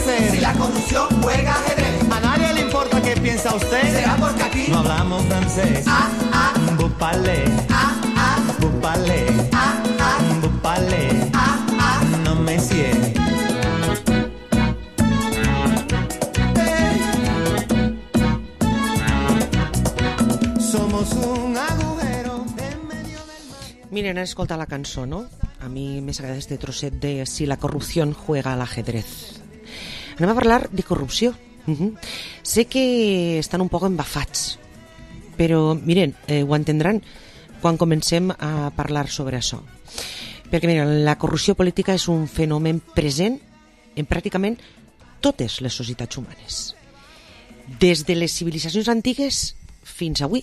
hacer. Si la corrupción juega ajedrez, A nadie le importa qué piensa usted. será porque aquí No hablamos francés. Vous parlez. Vous parlez. Vous parlez. No, monsieur. Somos un agujero en medio del mar. Miren, han escoltat la cançó, no? A mi més agrada este trosset de Si la corrupción juega al ajedrez. Anem a parlar de corrupció. Sé que estan un poc embafats, però miren, ho entendran quan comencem a parlar sobre això. Perquè miren, la corrupció política és un fenomen present en pràcticament totes les societats humanes. Des de les civilitzacions antigues fins avui,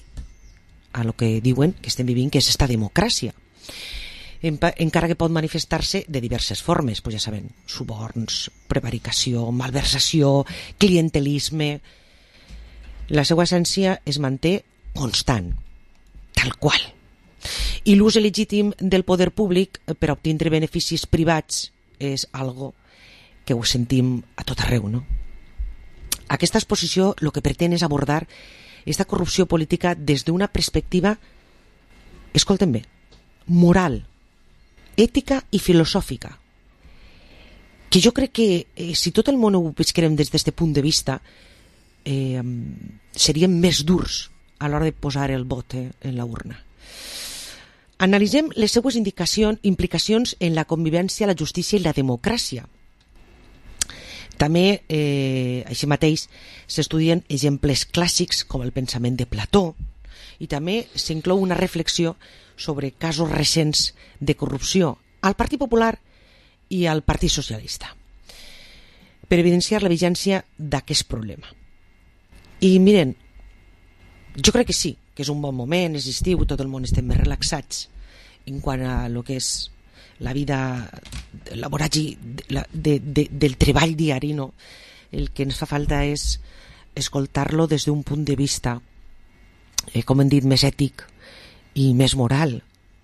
a lo que diuen que estem vivint, que és esta democràcia. Encara que pot manifestar-se de diverses formes, pues ja saben, suborns, prevaricació, malversació, clientelisme. La seva essència es manté constant, tal qual. I l'ús il·legítim del poder públic per obtindre beneficis privats és algo que ho sentim a tot arreu, no? Aquesta exposició el que pretén és abordar esta corrupció política des d'una perspectiva, escolten bé, moral, ètica i filosòfica, que jo crec que si tot el món ho visquerem des d'aquest punt de vista seríem més durs a l'hora de posar el vot en la urna. Analitzem les seues implicacions en la convivència, la justícia i la democràcia. També, així mateix, s'estudien exemples clàssics com el pensament de Plató i també s'inclou una reflexió sobre casos recents de corrupció al Partit Popular i al Partit Socialista per evidenciar la vigència d'aquest problema. I miren, jo crec que sí, que és un bon moment, és estiu, tot el món estem més relaxats en quant a lo que és la vida, la voràgine del treball diari, no? El que ens fa falta és escoltar-lo des d'un punt de vista, com hem dit, més ètic i més moral,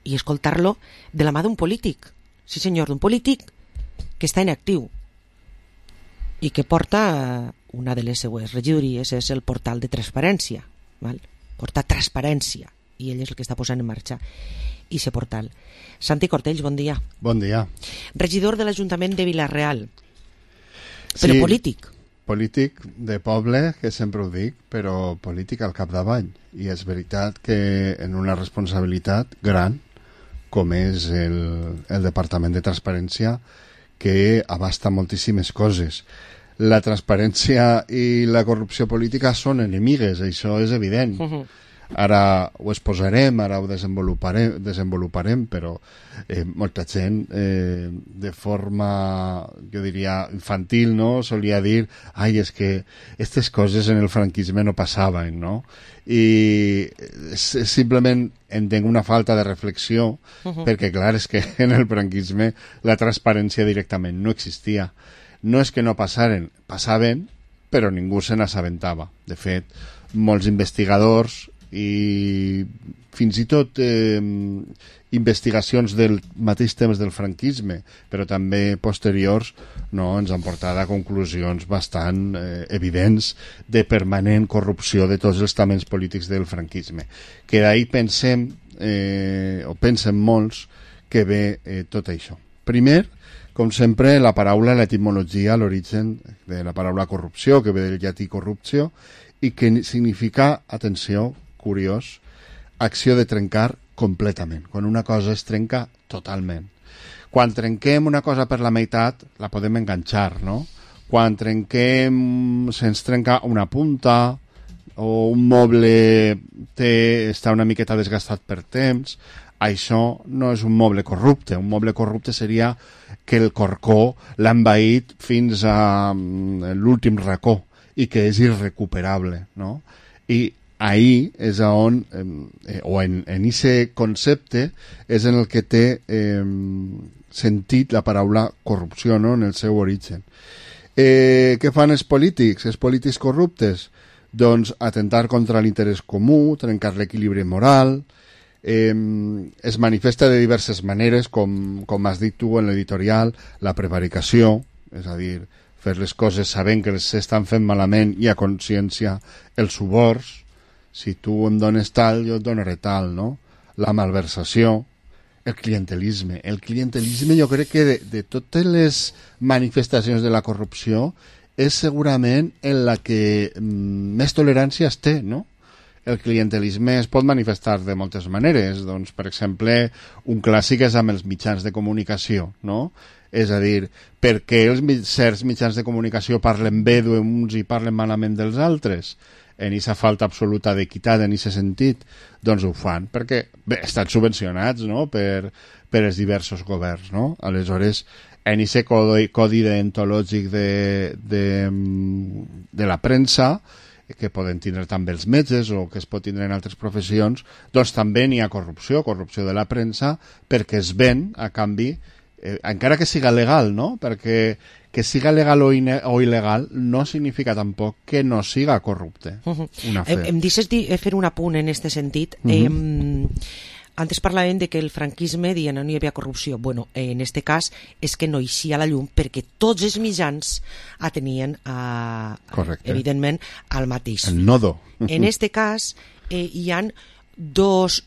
i escoltar-lo de la mà d'un polític, sí senyor, d'un polític que està en actiu i que porta una de les seues regidories, és el portal de transparència, val? Porta transparència, i ell és el que està posant en marxa i ese portal. Santi Cortells, bon dia. Bon dia. Regidor de l'Ajuntament de Vila-real, però sí, polític. Polític de poble, que sempre ho dic, però polític al capdavall. I és veritat que en una responsabilitat gran, com és el Departament de Transparència, que abasta moltíssimes coses. La transparència i la corrupció política són enemigues, això és evident. Ara ho exposarem, ara ho desenvoluparem, però molta gent de forma, jo diria, infantil, no? Solia dir, ai, és que aquestes coses en el franquisme no passaven, no? I simplement entenc una falta de reflexió, perquè clar, és que en el franquisme la transparència directament no existia. No és que no passaren, passaven, però ningú se n'assabentava. De fet, molts investigadors i fins i tot investigacions del mateix temps del franquisme, però també posteriors, no, ens han portat a conclusions bastant evidents de permanent corrupció de tots els estaments polítics del franquisme. Que d'ahir pensem, o pensen molts, que ve tot això. Primer, com sempre, la paraula, l'etimologia, l'origen de la paraula corrupció, que ve del llatí corrupció, i que significa, atenció, curiós, acció de trencar completament. Quan una cosa es trenca totalment. Quan trenquem una cosa per la meitat, la podem enganxar, no? Quan trenquem, se'ns trenca una punta, o un moble està una miqueta desgastat per temps, això no és un moble corrupte. Un moble corrupte seria que el corcó l'ha envaït fins a l'últim racó i que és irrecuperable, no? I ahí és on, o en aquest concepte, és en el que té sentit la paraula corrupció, no? En el seu origen. Què fan els polítics? Els polítics corruptes? Doncs atentar contra l'interès comú, trencar l'equilibri moral, es manifesta de diverses maneres, com has dit tu en l'editorial, la prevaricació, és a dir, fer les coses sabent que s'estan fent malament i a consciència els suborns. Si tu em dones tal, jo et donaré tal, no? La malversació, el clientelisme. El clientelisme jo crec que de totes les manifestacions de la corrupció és segurament en la que més tolerància es té, no? El clientelisme es pot manifestar de moltes maneres. Doncs, per exemple, un clàssic és amb els mitjans de comunicació, no? És a dir, per què certs mitjans de comunicació parlen bé d'uns i parlen malament dels altres? En aquesta falta absoluta d'equitat, en aquest sentit, doncs ho fan, perquè bé, estan subvencionats, no?, per els diversos governs, no? Aleshores, en aquest codi deontològic de la premsa, que poden tindre també els metges o que es pot tindre en altres professions, doncs també n'hi ha corrupció de la premsa, perquè es ven a canvi, encara que siga legal, no? Perquè que siga legal o il·legal no significa tampoc que no siga corrupte. Una fe. Em deixes fer un apunt en aquest sentit. Antes parlàvem de que el franquisme deia no hi havia corrupció. Bueno, en aquest cas és que no eixia a la llum perquè tots els mitjans atenien evidentment al mateix. El nodo. En aquest cas hi ha dos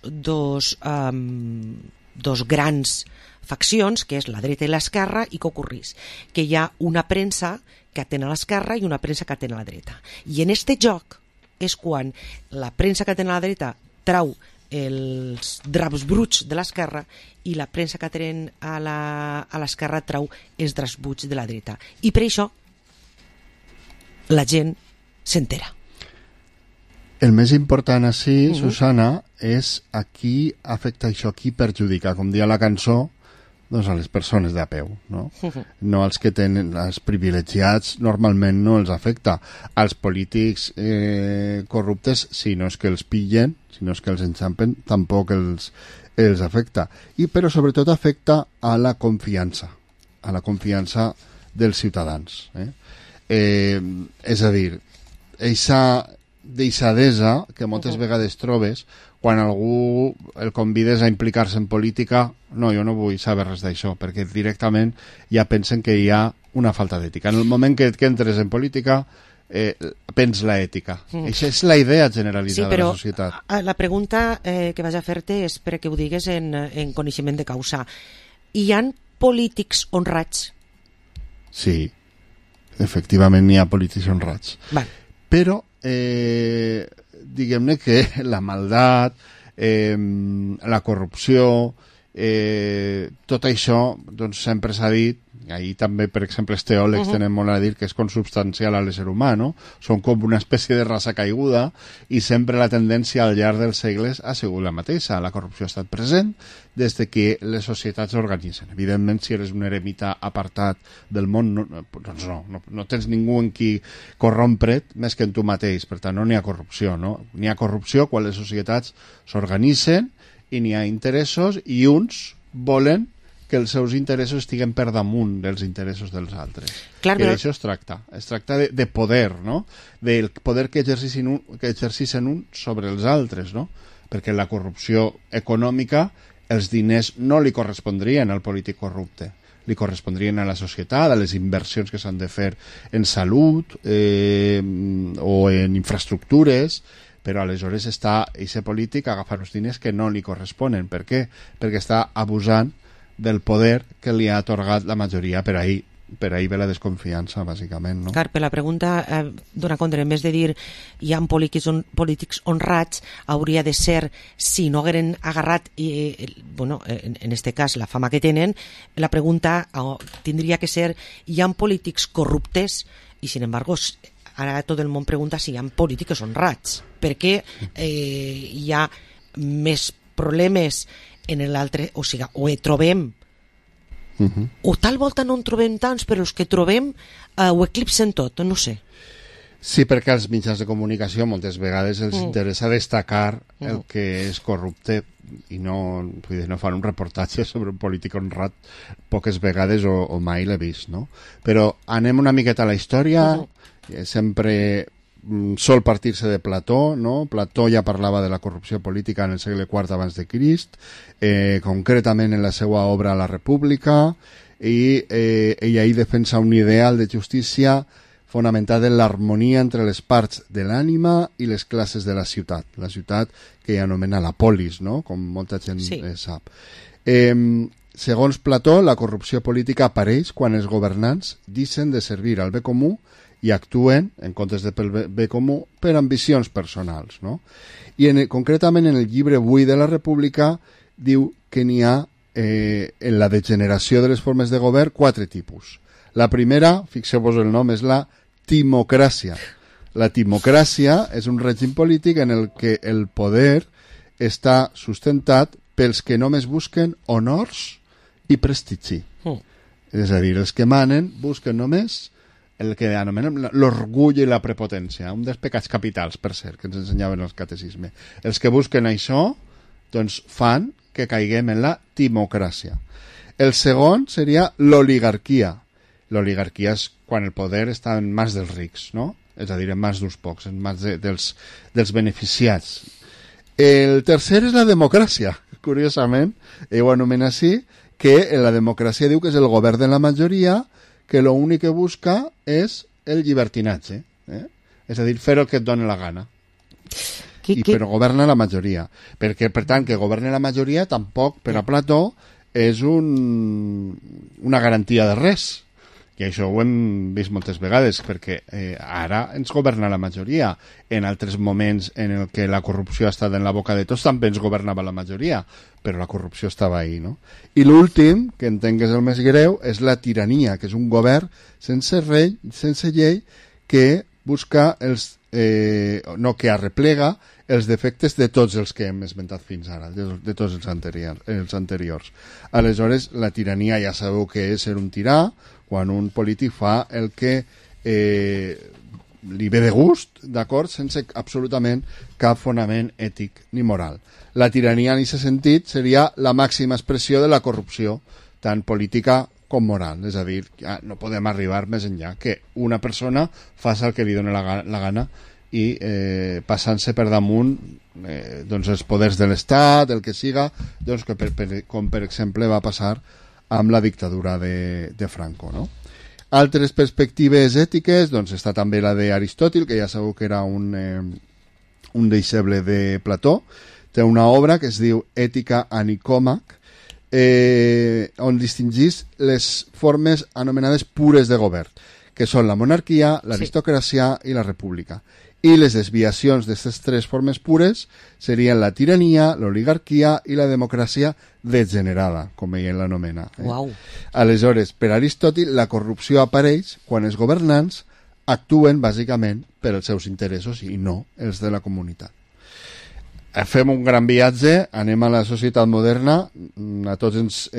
grans faccions, que és la dreta i l'esquerra, i què ocorrís? Que hi ha una premsa que atén a l'esquerra i una premsa que atén a la dreta. I en este joc és quan la premsa que atén a la dreta trau els draps bruts de l'esquerra i la premsa que atén a l'esquerra trau els draps bruts de la dreta. I per això la gent s'entera. El més important així, Susana, és a qui afecta això, a qui perjudica. Com dia la cançó, doncs a les persones de a peu, no? No als que tenen, els privilegiats normalment no els afecta. Als polítics corruptes, si no és que els pillen, si no és que els enxampen, tampoc els afecta. Però sobretot afecta a la confiança dels ciutadans. És a dir, eixa deixadesa que moltes vegades trobes quan algú el convides a implicar-se en política. No, jo no vull saber res d'això, perquè directament ja pensen que hi ha una falta d'ètica. En el moment que entres en política, pens l'ètica. Això és la idea generalitzada de la societat. Sí, però la pregunta que vaig a fer-te és perquè ho digues en coneixement de causa. Hi ha polítics honrats? Sí, efectivament hi ha polítics honrats. Val. Però diguem-ne que la maldat, la corrupció, tot això doncs, sempre s'ha dit, ahir també, per exemple, els teòlegs tenen molt a dir que és consubstancial a l'ésser humà, no? Són com una espècie de raça caiguda i sempre la tendència al llarg dels segles ha sigut la mateixa. La corrupció ha estat present des de que les societats s'organitzen. Evidentment, si eres un eremita apartat del món, doncs no tens ningú en qui corrompre't més que en tu mateix. Per tant, no n'hi ha corrupció, no? N'hi ha corrupció quan les societats s'organitzen i n'hi ha interessos i uns volen que els seus interessos estiguen per damunt dels interessos dels altres. Clar, que d'això es tracta. Es tracta de poder, no? Del poder que exerceixen uns sobre els altres, no? Perquè la corrupció econòmica, els diners no li correspondrien al polític corrupte. Li correspondrien a la societat, a les inversions que s'han de fer en salut o en infraestructures, però aleshores està aquest polític a agafar uns diners que no li corresponen. Per què? Perquè està abusant del poder que li ha atorgat la majoria. Per ahí ve la desconfiança, bàsicament, no? Clar, per la pregunta dona compte, en vez de dir hi ha polítics honrats, hauria de ser, si no hagueren agarrat en este cas la fama que tenen, la pregunta tindria que ser hi ha polítics corruptes i sin embargo ara tot el món pregunta si hi ha polítics honrats, perquè hi ha més problemes en l'altre, o sigui, o trobem o tal volta no en trobem tants, però els que trobem ho eclipsen tot, no sé. Sí, perquè als mitjans de comunicació moltes vegades els interessa destacar el que és corrupte i no fan un reportatge sobre un polític honrat poques vegades o mai l'he vist, no? Però anem una miqueta a la història. Sempre sol partir-se de Plató, no? Plató ja parlava de la corrupció política en el segle IV abans de Crist, concretament en la seva obra La República, i ella hi defensa un ideal de justícia fonamentat en l'harmonia entre les parts de l'ànima i les classes de la ciutat que ella anomena la polis, no? Com molta gent sap. Segons Plató, la corrupció política apareix quan els governants deixen de servir al bé comú i actuen, en comptes de pel bé comú, per ambicions personals, no? I concretament en el llibre 8 de la República diu que n'hi ha en la degeneració de les formes de govern 4 tipus. La primera, fixeu-vos el nom, és la timocràcia. La timocràcia és un règim polític en el que el poder està sustentat pels que només busquen honors i prestigi. És a dir, els que manen busquen només el que anomenem l'orgull i la prepotència, un dels pecats capitals, per cert, que ens ensenyaven el catecisme. Els que busquen això, doncs fan que caiguem en la timocràcia. El segon seria l'oligarquia. L'oligarquia és quan el poder està en mans dels rics, no? És a dir, en mans d'uns pocs, en mans dels beneficiats. El tercer és la democràcia, curiosament, ho anomena així, que la democràcia diu que és el govern de la majoria, que l'únic que busca és el llibertinatge, és a dir, fer el que et doni la gana. Però governa la majoria. Perquè, per tant, que governi la majoria tampoc, per a Plató, és una garantia de res. I això ho hem vist moltes vegades, perquè ara ens governa la majoria. En altres moments en el que la corrupció ha estat en la boca de tots també ens governava la majoria, però la corrupció estava ahí, no? I l'últim, que entenc que és el més greu, és la tirania, que és un govern sense rei, sense llei, que busca que arreplega els defectes de tots els que hem esmentat fins ara, de tots els anteriors. Aleshores, la tirania ja sabeu que és ser un tirà, quan un polític fa el que li ve de gust, d'acord, sense absolutament cap fonament ètic ni moral. La tirania en aquest sentit seria la màxima expressió de la corrupció, tant política com moral. És a dir, no podem arribar més enllà que una persona faci el que li doni la gana i passant-se per damunt doncs els poders de l'Estat, el que siga, doncs com per exemple va passar amb la dictadura de Franco, no? Altres perspectives ètiques, doncs està també la d'Aristòtil, que ja sabeu que era un deixeble de Plató. Té una obra que es diu Ètica a Nicòmac, on distingís les formes anomenades pures de govern, que són la monarquia, l'aristocràcia i la república. I les desviacions d'aquestes 3 formes pures serien la tirania, l'oligarquia i la democràcia degenerada, com ell l'anomena. Uau. Aleshores, per Aristòtil, la corrupció apareix quan els governants actuen bàsicament per als seus interessos i no els de la comunitat. Fem un gran viatge, anem a la societat moderna, a tots ens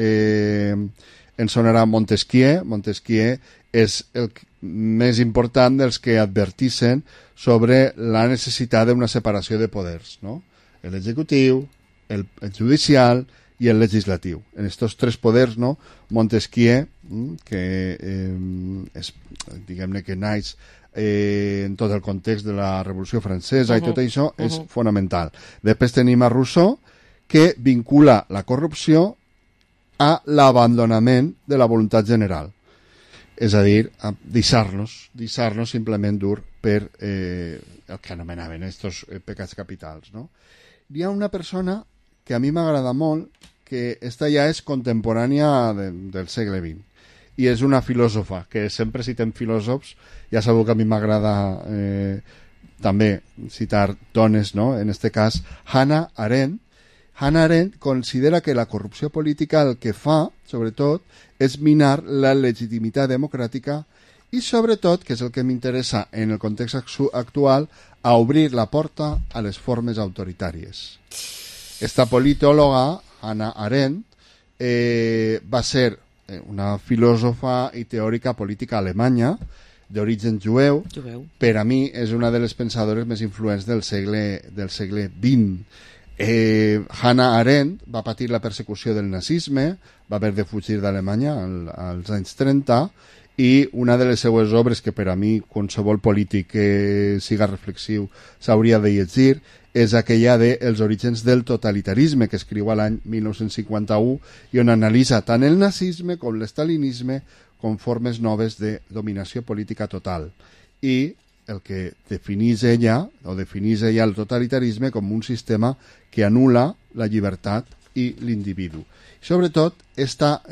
sonarà Montesquieu. Montesquieu és el més important dels que advertixen sobre la necessitat d'una separació de poders, no? L'executiu, el judicial i el legislatiu. En aquests 3 poders, no? Montesquieu, que és, diguem-ne que naix en tot el context de la Revolució Francesa i tot això és fonamental. Després tenim a Rousseau, que vincula la corrupció a l'abandonament de la voluntat general. És a dir, a deixar-nos simplement dur per el que anomenaven estos pecats capitals, no? Hi ha una persona que a mi m'agrada molt, que esta ja és contemporània del segle XX, i és una filòsofa, que sempre citem filòsofs, ja sabeu que a mi m'agrada també citar dones, no? En este cas, Hannah Arendt. Hannah Arendt considera que la corrupció política el que fa, sobretot, és minar la legitimitat democràtica i, sobretot, que és el que m'interessa en el context actual, a obrir la porta a les formes autoritàries. Esta politòloga, Hannah Arendt, va ser una filòsofa i teòrica política alemanya, d'origen jueu. Per a mi és una de les pensadores més influents del segle XX. Hannah Arendt va patir la persecució del nazisme, va haver de fugir d'Alemanya als anys 30, i una de les seues obres que per a mi qualsevol polític que siga reflexiu s'hauria de llegir és aquella de Els orígens del totalitarisme, que escriu a l'any 1951 i on analitza tant el nazisme com l'estalinisme com formes noves de dominació política total. I el que definís ella el totalitarisme com un sistema que anul·la la llibertat i l'individu. Sobretot, esta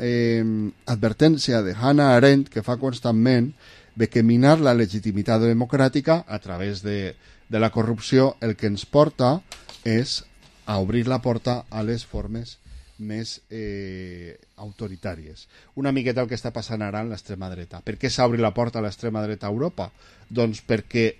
advertència de Hannah Arendt que fa constantment de que minar la legitimitat democràtica a través de la corrupció el que ens porta és a obrir la porta a les formes més autoritàries. Una miqueta el que està passant ara en l'extrema dreta. Per què s'ha obrit la porta a l'extrema dreta a Europa? Doncs perquè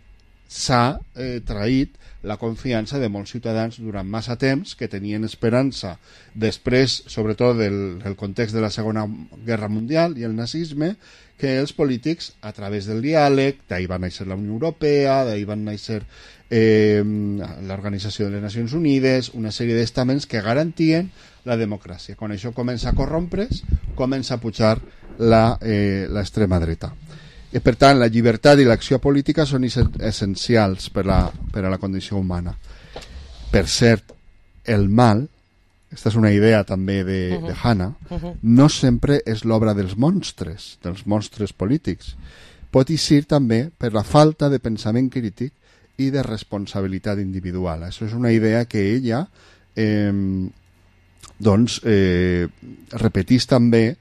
s'ha traït la confiança de molts ciutadans durant massa temps que tenien esperança després, sobretot del context de la Segona Guerra Mundial i el nazisme, que els polítics, a través del diàleg, d'ahir va néixer la Unió Europea, d'ahir van néixer l'Organització de les Nacions Unides, una sèrie d'estaments que garantien la democràcia. Quan això comença a corrompre's, comença a pujar l'extrema dreta. I, per tant, la llibertat i l'acció política són essencials per a la condició humana. Per cert, el mal, aquesta és una idea també de Hannah, no sempre és l'obra dels monstres polítics. Pot ser també per la falta de pensament crític i de responsabilitat individual. Això és una idea que ella repetís també,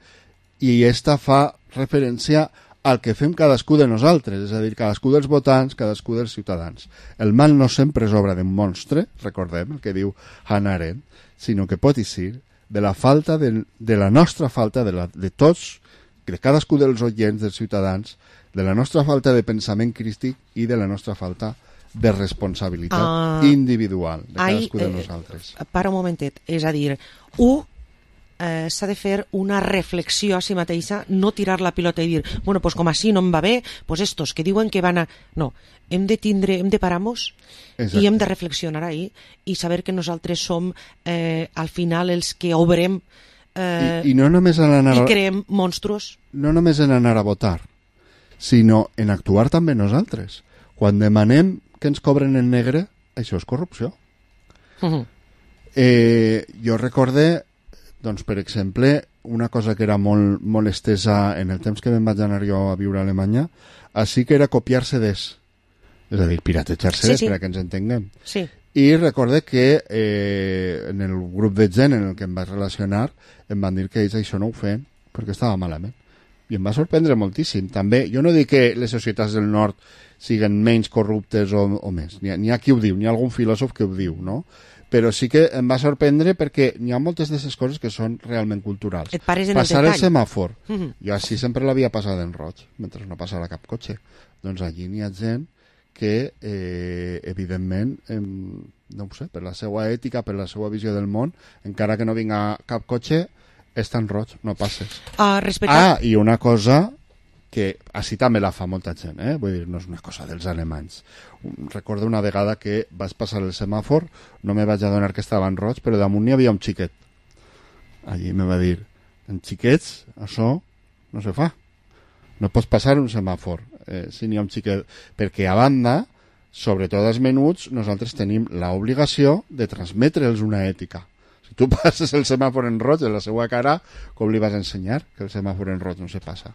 i esta fa referència al que fem cadascú de nosaltres, és a dir, cadascú dels votants, cadascú dels ciutadans. El mal no sempre és obra d'un monstre, recordem el que diu Hannah Arendt, sinó que pot ser de la falta de la nostra falta, de tots, de cadascú dels oients, dels ciutadans, de la nostra falta de pensament crític i de la nostra falta de responsabilitat individual de cadascú de nosaltres. Para un momentet, és a dir, s'ha de fer una reflexió a si mateixa, no tirar la pilota i dir, bueno, pues com així no em va bé, pues estos que diuen que van a... No, hem de parar-nos i hem de reflexionar ahí i saber que nosaltres som al final els que obrem i no només en anar i creem monstruos. No només en anar a votar, sinó en actuar també nosaltres. Quan demanem que ens cobren en negre, això és corrupció. Jo recorde, doncs, per exemple, una cosa que era molt estesa en el temps que me'n vaig anar jo a viure a Alemanya, així que era copiar CDs. És a dir, piratejar CDs, per a que ens entenguem. Sí. I recorde que en el grup de gent en el que em vaig relacionar em van dir que ells això no ho feien perquè estava malament. I em va sorprendre moltíssim. També, jo no dic que les societats del nord siguen menys corruptes o més. N'hi ha qui ho diu, n'hi ha algun filòsof que ho diu, no? Però sí que em va sorprendre perquè n'hi ha moltes d'aquestes coses que són realment culturals. Et pares en passar el el semàfor. Jo així sempre l'havia passat en roig, mentre no passava cap cotxe. Doncs allí n'hi ha gent que, evidentment, no ho sé, per la seva ètica, per la seva visió del món, encara que no vinga cap cotxe, és tan roig, no passes. I una cosa que així també la fa molta gent, vull dir, no és una cosa dels alemanys. Recordo una vegada que vaig passar el semàfor, no me vaig adonar que estava en roig, però damunt hi havia un xiquet. Allí me va dir, en xiquets, això no se fa. No pots passar un semàfor si n'hi ha un xiquet. Perquè, a banda, sobretot els menuts, nosaltres tenim l'obligació de transmetre'ls una ètica. Si tu passes el semàfor en roig en la seva cara, com li vas ensenyar que el semàfor en roig no se passa?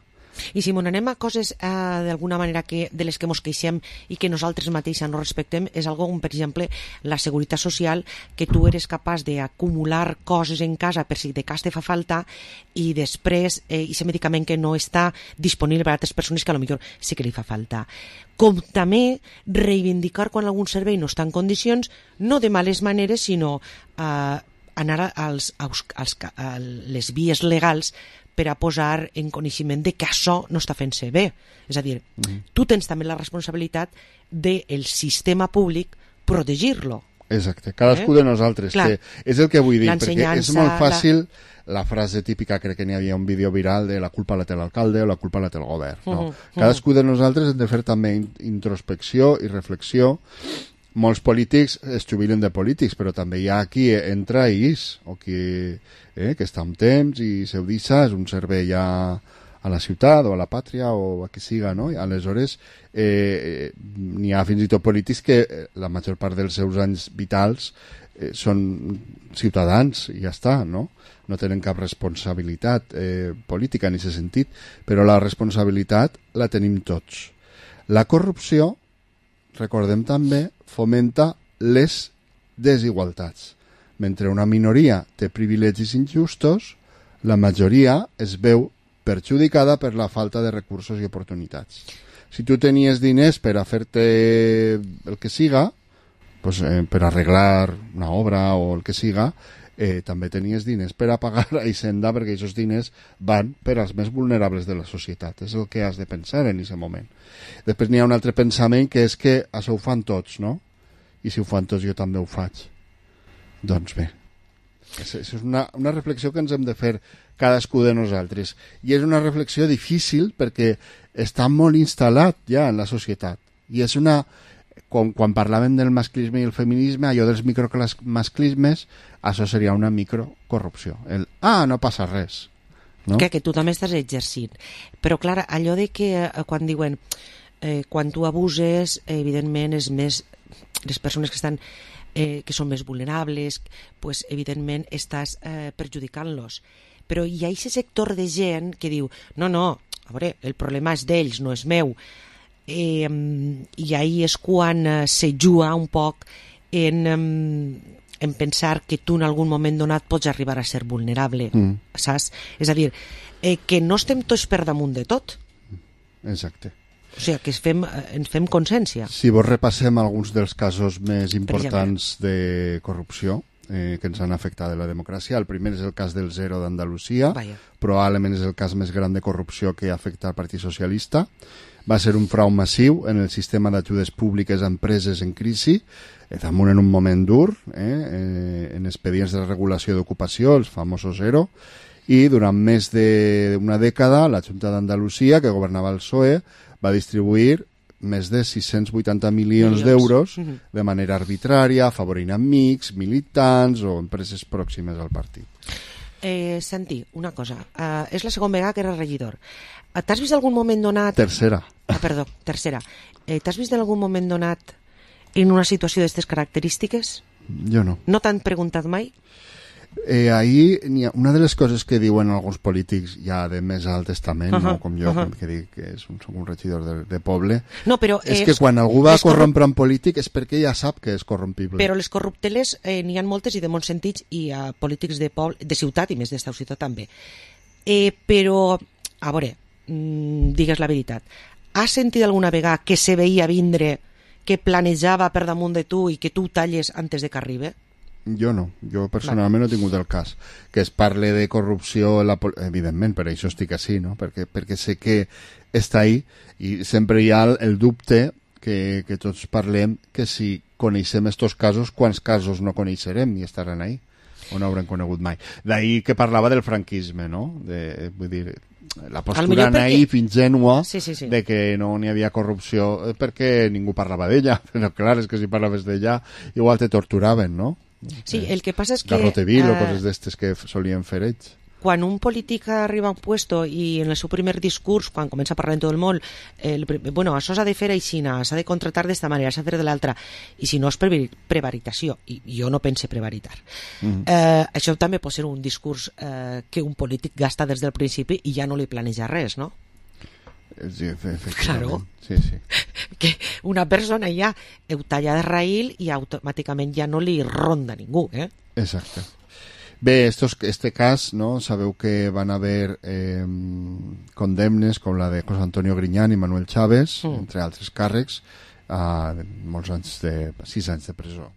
I si anem a coses d'alguna manera de les que mos queixem i que nosaltres mateixes no respectem, és algo com, per exemple, la seguretat social, que tu eres capaç d'acumular coses en casa per si de cas te fa falta i després aquest medicament que no està disponible per a altres persones que potser sí que li fa falta. Com també reivindicar quan algun servei no està en condicions, no de males maneres, sinó anar a les vies legals per a posar en coneixement de que això no està fent-se bé. És a dir, tu tens també la responsabilitat del sistema públic protegir-lo. Exacte, cadascú de nosaltres. Que és el que vull dir, perquè és molt fàcil la frase típica, crec que n'hi havia un vídeo viral de la culpa la té l'alcalde o la culpa la té el govern. No? Cadascú de nosaltres hem de fer també introspecció i reflexió. Molts polítics es jubilen de polítics, però també hi ha qui entra i és, o qui que està un temps i se ho deixa, és un servei ja a la ciutat o a la pàtria o a qui siga, no? I aleshores n'hi ha fins i tot polítics que la major part dels seus anys vitals són ciutadans i ja està, no? No tenen cap responsabilitat política en aquest sentit, però la responsabilitat la tenim tots. La corrupció, recordem també, fomenta les desigualtats. Mentre una minoria té privilegis injustos, la majoria es veu perjudicada per la falta de recursos i oportunitats. Si tu tenies diners per a fer-te el que siga, pues, per arreglar una obra o el que siga, també tenies diners per a pagar a Hisenda, perquè aquests diners van per als més vulnerables de la societat. És el que has de pensar en aquest moment. Després n'hi ha un altre pensament, que és que això ho fan tots, no? I si ho fan tots, jo també ho faig. Doncs bé, és una reflexió que ens hem de fer cadascú de nosaltres. I és una reflexió difícil perquè està molt instal·lat ja en la societat. I és una... Quan parlàvem del masclisme i el feminisme, allò dels micromasclismes, això seria una microcorrupció. No passa res. No? Que tu també estàs exercint. Però, clar, allò de que quan diuen quan tu abuses, evidentment, és més les persones que estan que són més vulnerables, pues, evidentment estàs perjudicant-los. Però hi ha aquest sector de gent que diu no, a veure, el problema és d'ells, no és meu. I ahí és quan se juga un poc en pensar que tu en algun moment donat pots arribar a ser vulnerable, saps? És a dir, que no estem tots per damunt de tot. Exacte. O sigui, que ens fem consciència. Si vos repassem alguns dels casos més importants de corrupció que ens han afectat de la democràcia, el primer és el cas del Zero d'Andalusia, probablement és el cas més gran de corrupció que afecta al Partit Socialista. Va ser un frau massiu en el sistema d'ajudes públiques a empreses en crisi, damunt en un moment dur, en expedients de regulació d'ocupació, els famosos Zero, i durant més d'una dècada la Junta d'Andalusia, que governava el PSOE, va distribuir més de 680 milions d'euros de manera arbitrària, afavorint amics, militants o empreses pròximes al partit. Santi, una cosa, és la segona vegada que eres regidor. T'has vist algun moment donat... Tercera. Tercera. T'has vist en algun moment donat en una situació d'aquestes característiques? Jo no. No t'han preguntat mai? Ahí una de les coses que diuen alguns polítics ja de més alt testament, no com jo, que dic que soc un regidor de poble, és que quan algú va corrompre un polític és perquè ja sap que és corrompible. Però les corrupteles n'hi ha moltes i de molts sentits, i a polítics de poble, de ciutat i més d'esta ciutat també. Però, a veure, digues la veritat, has sentit alguna vegada que se veia vindre, que planejava per damunt de tu i que tu talles antes de que arribi? Jo no, jo personalment no he tingut el cas. Que es parle de corrupció, evidentment, per això estic així, no? Perquè sé que està ahí i sempre hi ha el dubte que tots parlem que si coneixem estos casos, quants casos no coneixerem i estaran ahí o no haurem conegut mai. D'ahir que parlava del franquisme, no? Vull dir, la postura naïf, ingènua, de que no n'hi havia corrupció perquè ningú parlava d'ella, però clar, és que si parlaves d'ella igual te torturaven, no? Sí, el que passa és que... Garroteville o coses d'estes que solien fer ells. Quan un polític arriba a un puesto i en el seu primer discurs, quan comença a parlar en tot el món, això s'ha de fer aixina, s'ha de contratar d'esta manera, s'ha de fer de l'altra, i si no és prevaricació, i jo no pense prevaritar. Això també pot ser un discurs que un polític gasta des del principi i ja no li planeja res, no? Sí, claro. Sí. Que una persona ja ho talla de raïl i automàticament ja no li ronda ningú, Exacte. Bé, este cas, no? Sabeu que van haver condemnes com la de José Antonio Griñán i Manuel Chávez, entre altres càrrecs, a molts anys 6 anys de presó.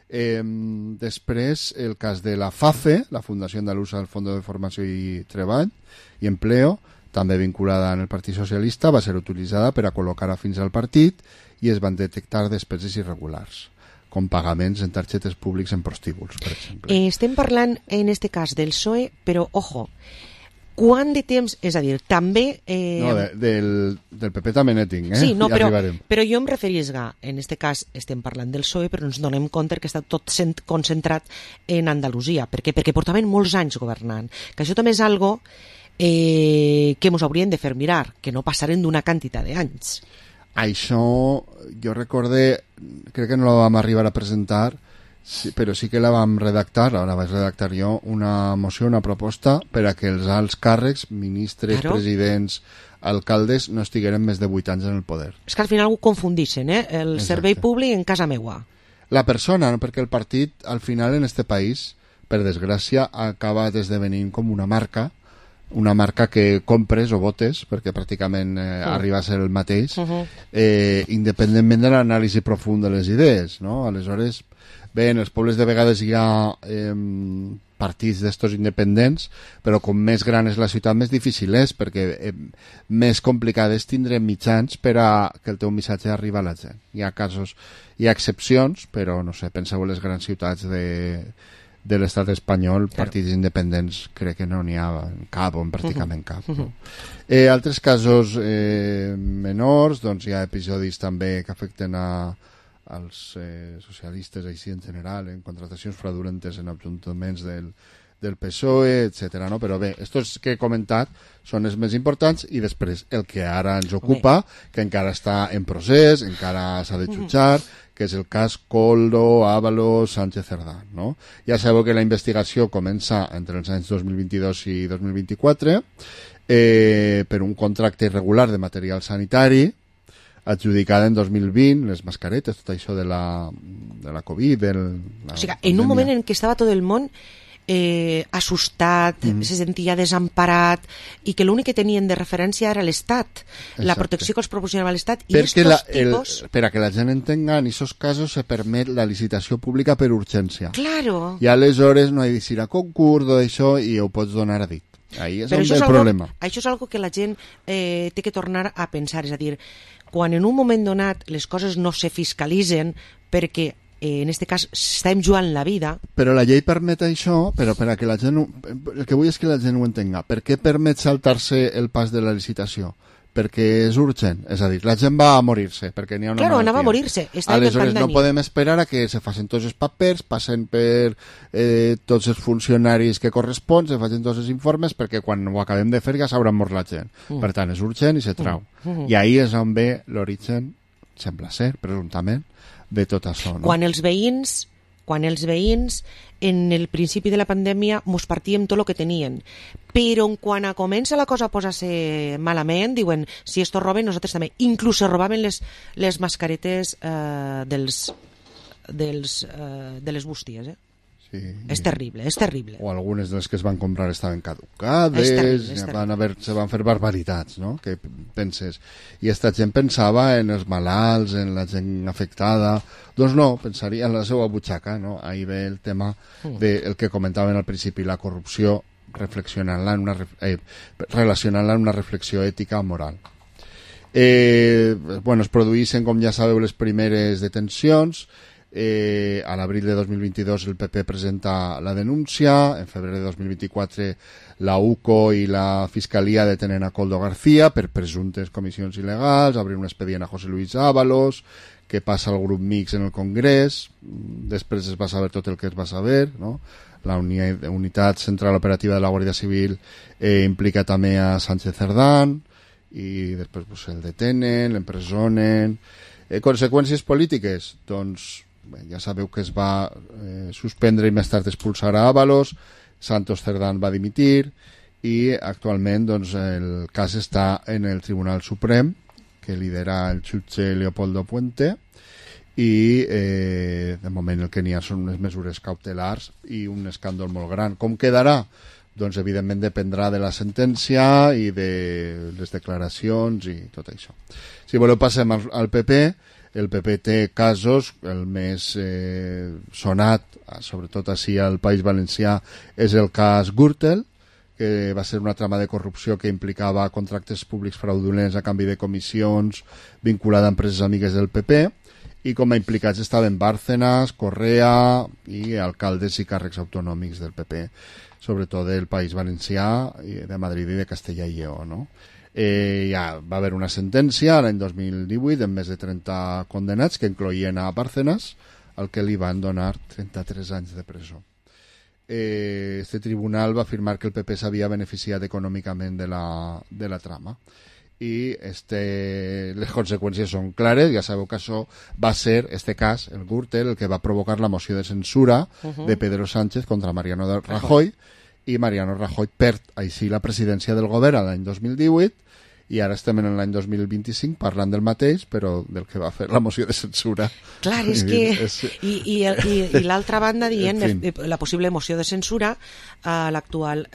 Després, el cas de la FAFE, la Fundació Andalusa del Fondo de Formació i Treball i Empleo, també vinculada en el Partit Socialista, va ser utilitzada per a col·locar afins al partit i es van detectar despeses irregulars, com pagaments en targetes públics en prostíbuls, per exemple. Estem parlant, en este cas, del PSOE, però, ojo, quant de temps, és a dir, també... No, del PP també n'he tinc, Sí, no, ja però jo em referisc en este cas, estem parlant del PSOE, però ens donem compte que està tot concentrat en Andalusia. Per què? Perquè portaven molts anys governant. Que això també és algo que ens haurien de fer mirar, que no passaren d'una quantitat d'anys. Això, jo recordé, crec que no la vam arribar a presentar, sí, però sí que la vam redactar, la vaig redactar jo, una moció, una proposta per a que els alts càrrecs, ministres, Claro. presidents, alcaldes, no estigueren més de 8 anys en el poder. És que al final ho confundixen, el Exacte. servei públic en casa meua. La persona, no? Perquè el partit, al final, en este país, per desgràcia, acaba esdevenint com una marca que compres o votes, perquè pràcticament arriba a ser el mateix, independentment de l'anàlisi profund de les idees, no? Aleshores, bé, en els pobles de vegades hi ha partits d'estos independents, però com més gran és la ciutat, més difícil és, perquè més complicat és tindre mitjans per a que el teu missatge arribi a la gent. Hi ha casos, hi ha excepcions, però, no sé, penseu en les grans ciutats de l'estat espanyol, partits independents crec que no n'hi ha cap o en pràcticament cap. No? Altres casos menors, doncs hi ha episodis també que afecten als socialistes així en general, en contratacions fraudulentes en ajuntaments del PSOE, etc. No? Però bé, estos que he comentat són els més importants i després el que ara ens ocupa, que encara està en procés, encara s'ha de jutjar, que és el cas Koldo, Ábalos, Sánchez Cerdá. No? Ja sabeu que la investigació comença entre els anys 2022 i 2024 per un contracte irregular de material sanitari adjudicada en 2020, les mascaretes, tot això de la Covid, O sigui, en un moment en què estava tot el món assustat, se sentia desemparat i que l'únic que tenien de referència era l'Estat, la protecció que els proporcionava l'Estat i estos tipos... Per a que la gent entenga, en aquests casos se permet la licitació pública per urgència. Claro. I aleshores no hi ha d'eixir a concurs d'això i ho pots donar a dit. Ahí és Però on ve el problema. Això és algo que la gent té que tornar a pensar, és a dir, quan en un moment donat les coses no se fiscalitzen perquè en este cas estem jugant la vida. Però la llei permet això, però per a que la gent el que vull és que la gent ho entenga. Per què permet saltar-se el pas de la licitació? Perquè és urgent, és a dir, la gent va a morir-se perquè n'hi ha una malaltia. Anava a morir-se, estava en aleshores pandèmia. No podem esperar a que se facin tots els papers, passen per tots els funcionaris que correspon, se facin tots els informes perquè quan ho acabem de fer ja s'haurà mort la gent. Per tant, és urgent i se trau. I ahí és on ve l'origen, sembla ser, presumptament, de tot això. No? Quan els veïns en el principi de la pandèmia mos partíem tot el que tenien, però quan comença la cosa a posar-se malament diuen, si esto roben, nosaltres també. Inclús se robaven les mascaretes de les bústies, Sí, és terrible, és terrible. O algunes de les que es van comprar estaven caducades, se van fer barbaritats, no? Que penses. I esta gent pensava en els malalts, en la gent afectada. Doncs no, pensaria en la seva butxaca, no? Ahí ve el tema del que comentaven al principi, la corrupció, relacionant-la en una reflexió ètica o moral. Bueno, es produïssin, com ja sabeu, les primeres detencions. A l'abril de 2022 el PP presenta la denúncia, en febrer de 2024 la UCO i la Fiscalia detenen a Koldo García per presumptes comissions il·legals, obrir un expedient a José Luis Ábalos, que passa al grup mix en el Congrés, després es va saber tot el que es va saber, no? La unitat central operativa de la Guàrdia Civil implica també a Sánchez Cerdá i després pues, el detenen, l'empresonen. Conseqüències polítiques? Doncs bé, ja sabeu que es va suspendre i més tard expulsar a Ábalos, Santos Cerdán va dimitir i actualment doncs, el cas està en el Tribunal Suprem, que lidera el jutge Leopoldo Puente, i de moment el que n'hi ha són unes mesures cautelars i un escàndol molt gran. Com quedarà? Doncs evidentment dependrà de la sentència i de les declaracions i tot això. Si voleu passem al PP. El PP té casos, el més sonat, sobretot així al País Valencià, és el cas Gürtel, que va ser una trama de corrupció que implicava contractes públics fraudulents a canvi de comissions vinculada a empreses amigues del PP, i com a implicats estaven Bárcenas, Correa i alcaldes i càrrecs autonòmics del PP, sobretot del País Valencià, de Madrid i de Castella i Lleó, no? Ja va haver una sentència l'any 2018 amb més de 30 condenats que incloïen a Bárcenas, al que li van donar 33 anys de presó. este tribunal va afirmar que el PP s'havia beneficiat econòmicament de la trama. I les conseqüències són clares. Ja sabeu que això va ser, este cas, el Gürtel, el que va provocar la moció de censura de Pedro Sánchez contra Mariano Rajoy, i Mariano Rajoy perd així la presidència del govern l'any 2018, i ara estem en l'any 2025 parlant del mateix, però del que va fer la moció de censura. Clar, és que... I l'altra banda dient la possible moció de censura a l'actual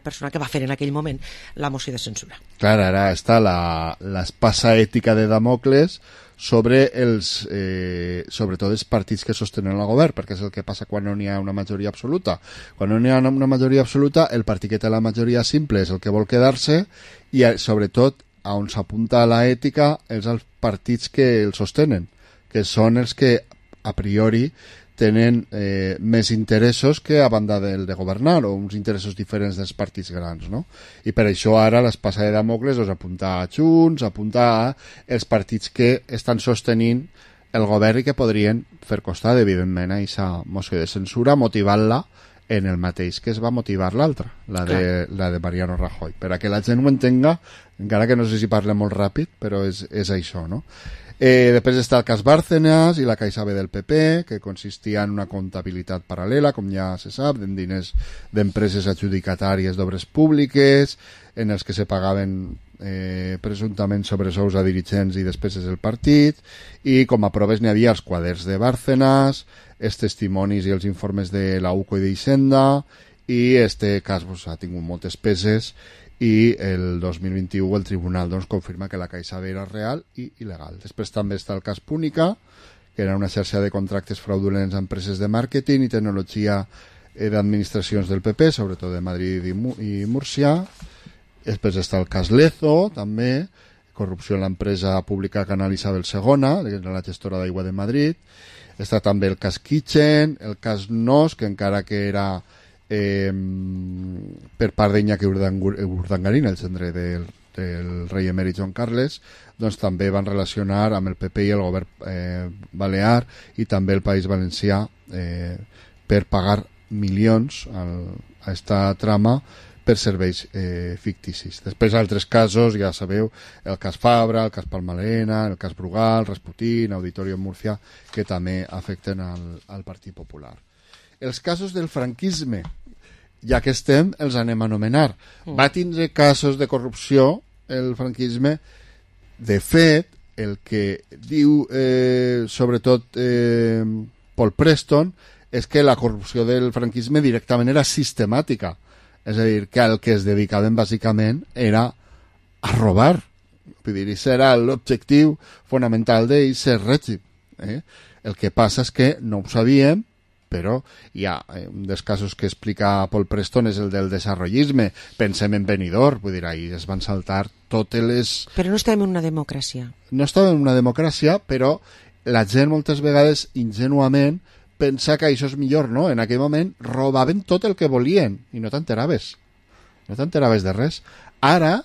persona que va fer en aquell moment la moció de censura. Clar, ara està l'espasa ètica de Damocles sobre sobretot els partits que sostenen el govern, perquè és el que passa quan no n'hi ha una majoria absoluta. Quan no n'hi ha una majoria absoluta, el partit que té la majoria simple és el que vol quedar-se, i sobretot on s'apunta a l'ètica és els partits que el sostenen, que són els que a priori tenen més interessos que a banda del de governar, o uns interessos diferents dels partits grans, no? I per això ara l'espasa de Damocles apunta a Junts, apunta a els partits que estan sostenint el govern i que podrien fer costat, evidentment, a aquesta moció de censura, motivant-la en el mateix que es va motivar l'altra, la de Mariano Rajoy. Per a que la gent ho entenga, encara que no sé si parle molt ràpid, però és això, no? Després està el cas Bárcenas i la Caixa B del PP, que consistia en una comptabilitat paral·lela, com ja se sap, en diners d'empreses adjudicatàries d'obres públiques, en els que se pagaven presumptament sobresous a dirigents i despeses del partit, i com a proves n'hi havia els quaderns de Bárcenas, els testimonis i els informes de la UCO i d'Hisenda, i este cas ha tingut moltes peses, i el 2021 el tribunal confirma que la Caixa B era real i il·legal. Després també està el cas Púnica, que era una xarxa de contractes fraudulents a empreses de màrqueting i tecnologia d'administracions del PP, sobretot de Madrid i Múrcia. Després està el cas Lezo, també, corrupció en l'empresa pública Canal Isabel II, la gestora d'aigua de Madrid. Està també el cas Kitchen, el cas Nos, que encara que era per part d'Iñaki Urdangarín, el gendre del rei emèrit Joan Carles, doncs també van relacionar amb el PP i el govern balear i també el País Valencià per pagar milions a aquesta trama per serveis ficticis. Després altres casos, ja sabeu, el cas Fabra, el cas Palmalena, el cas Brugal, Rasputín, Auditorio Murcia, que també afecten al Partit Popular. Els casos del franquisme, ja que estem, els anem a anomenar. Va tindre casos de corrupció el franquisme. De fet, el que diu sobretot Paul Preston és que la corrupció del franquisme directament era sistemàtica. És a dir, que el que es dedicaven bàsicament era a robar. Vull dir, això era l'objectiu fonamental d'aquest règim. El que passa és que no ho sabíem, però hi ha un dels casos que explica Paul Preston és el del desarrollisme. Pensem en Benidorm, vull dir, ahir es van saltar totes les... Però no estàvem en una democràcia. No estàvem en una democràcia, però la gent moltes vegades ingenuament pensa que això és millor, no? En aquell moment robaven tot el que volien i no t'enteraves. No t'enteraves de res. Ara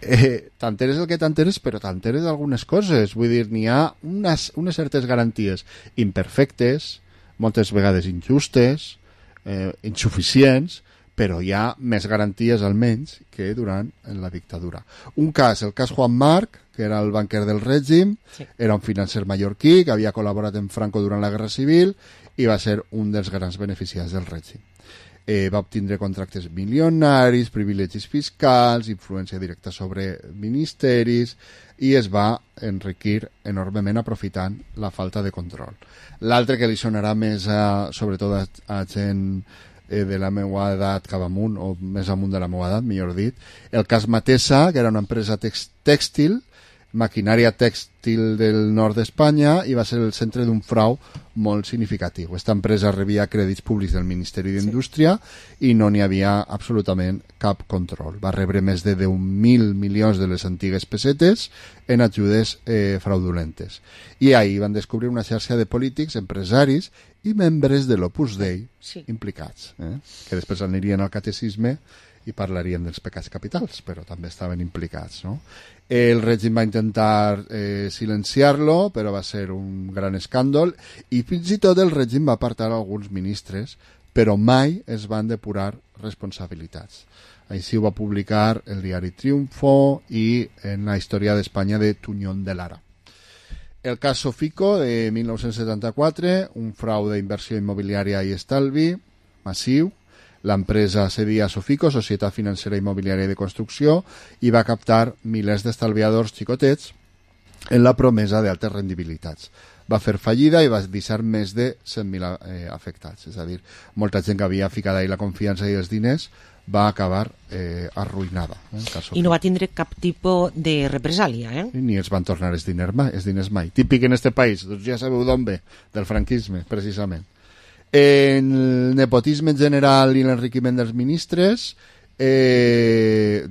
t'enteres el que t'enteres, però t'enteres d'algunes coses. Vull dir, n'hi ha unes certes garanties imperfectes, moltes vegades injustes, insuficients, però hi ha més garanties almenys que durant la dictadura. Un cas, el cas Juan Marc, que era el banquer del règim, era un financer mallorquí que havia col·laborat amb Franco durant la Guerra Civil i va ser un dels grans beneficiats del règim. Va obtindre contractes milionaris, privilegis fiscals, influència directa sobre ministeris i es va enriquir enormement aprofitant la falta de control. L'altre que li sonarà més sobretot a gent de la meva edat cap amunt, o més amunt de la meva edat, millor dit, el cas Matesa, que era una empresa tèxtil, maquinària tèxtil del nord d'Espanya, i va ser el centre d'un frau molt significatiu. Aquesta empresa rebia crèdits públics del Ministeri d'Indústria i no n'hi havia absolutament cap control. Va rebre més de 10.000 milions de les antigues pessetes en ajudes fraudulentes. I ahir van descobrir una xarxa de polítics, empresaris i membres de l'Opus Dei implicats, que després anirien al catecisme i parlarien dels pecats capitals, però també estaven implicats, no? El règim va intentar silenciar-lo, però va ser un gran escàndol, i fins i tot el règim va apartar alguns ministres però mai es van depurar responsabilitats. Així ho va publicar el diari Triunfo i en la història d'Espanya de Tuñón de Lara. El cas Sofico de 1974, un frau d'inversió immobiliària i estalvi massiu. L'empresa cedia a Sofico, Societat Financera Immobiliària de Construcció, i va captar milers d'estalviadors xicotets en la promesa d'altes rendibilitats. Va fer fallida i va deixar més de 100.000 afectats. És a dir, molta gent que havia ficat ahí la confiança i els diners va acabar arruïnada. I no va tindre cap tipus de represàlia, Ni els van tornar els diners mai. Típic en este país, doncs ja sabeu d'on ve, del franquisme, precisament. En el nepotisme en general i l'enriquiment dels ministres,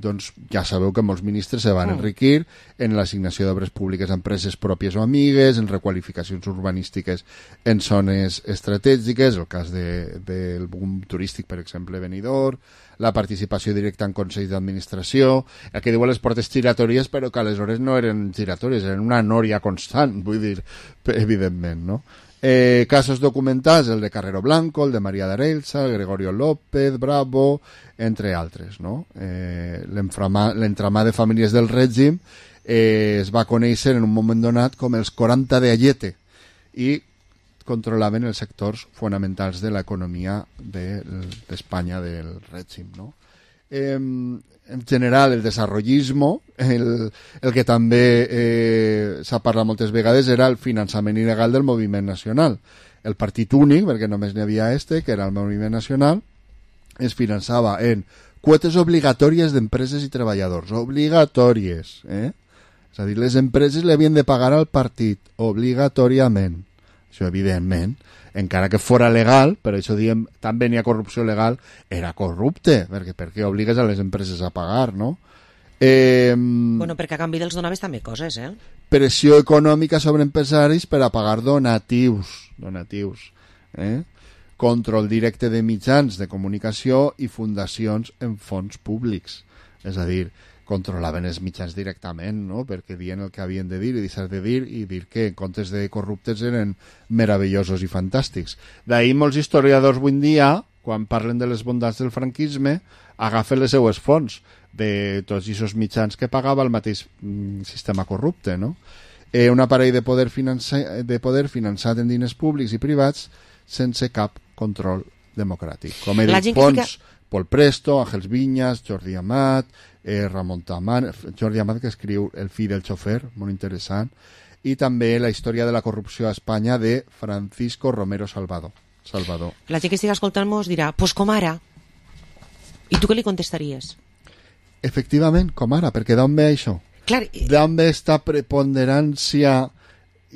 doncs ja sabeu que molts ministres se van enriquir en l'assignació d'obres públiques a empreses pròpies o amigues, en requalificacions urbanístiques en zones estratègiques, el cas del boom turístic, per exemple, Benidorm, la participació directa en consells d'administració, el que diuen les portes giratòries, però que aleshores no eren giratòries, eren una nòria constant, vull dir, evidentment, no? Casos documentats, el de Carrero Blanco, el de María de Arelsa, el Gregorio López, Bravo, entre altres, no? L'entramat de famílies del règim es va conèixer en un moment donat com els 40 de Ayete i controlaven els sectors fonamentals de l'economia d'Espanya del règim, no? En general, el desarrollismo, el que també s'ha parlat moltes vegades, era el finançament il·legal del moviment nacional. El partit únic, perquè només n'hi havia que era el moviment nacional, es finançava en quotes obligatòries d'empreses i treballadors. Obligatòries, És a dir, les empreses li havien de pagar al partit, obligatòriament. Això, evidentment, encara que fora legal, per això diem, també n'hi ha corrupció legal, era corrupte, perquè per què obligues a les empreses a pagar, no? Bueno, perquè a canvi dels donaves també coses, Pressió econòmica sobre empresaris per a pagar donatius, control directe de mitjans de comunicació i fundacions en fons públics. És a dir, controlaven els mitjans directament, no? Perquè dient el que havien de dir i deixar de dir i dir que en comptes de corruptes eren meravellosos i fantàstics. D'ahir molts historiadors avui en dia, quan parlen de les bondats del franquisme, agafen les seues fonts de tots aquests mitjans que pagava el mateix sistema corrupte, no? Un aparell de poder finançat en diners públics i privats sense cap control democràtic. Com he dit, fons Pol Presto, Àngels Viñas, Jordi Amat, Ramon Tamán, Jordi Amat, que escriu El fill del xofer, molt interessant, i també la història de la corrupció a Espanya de Francisco Romero Salvador. La gent que estigui escoltant mos dirà, pues com ara. I tu què li contestaries? Efectivament, com ara, perquè d'on ve això? Clar, d'on ve esta preponderància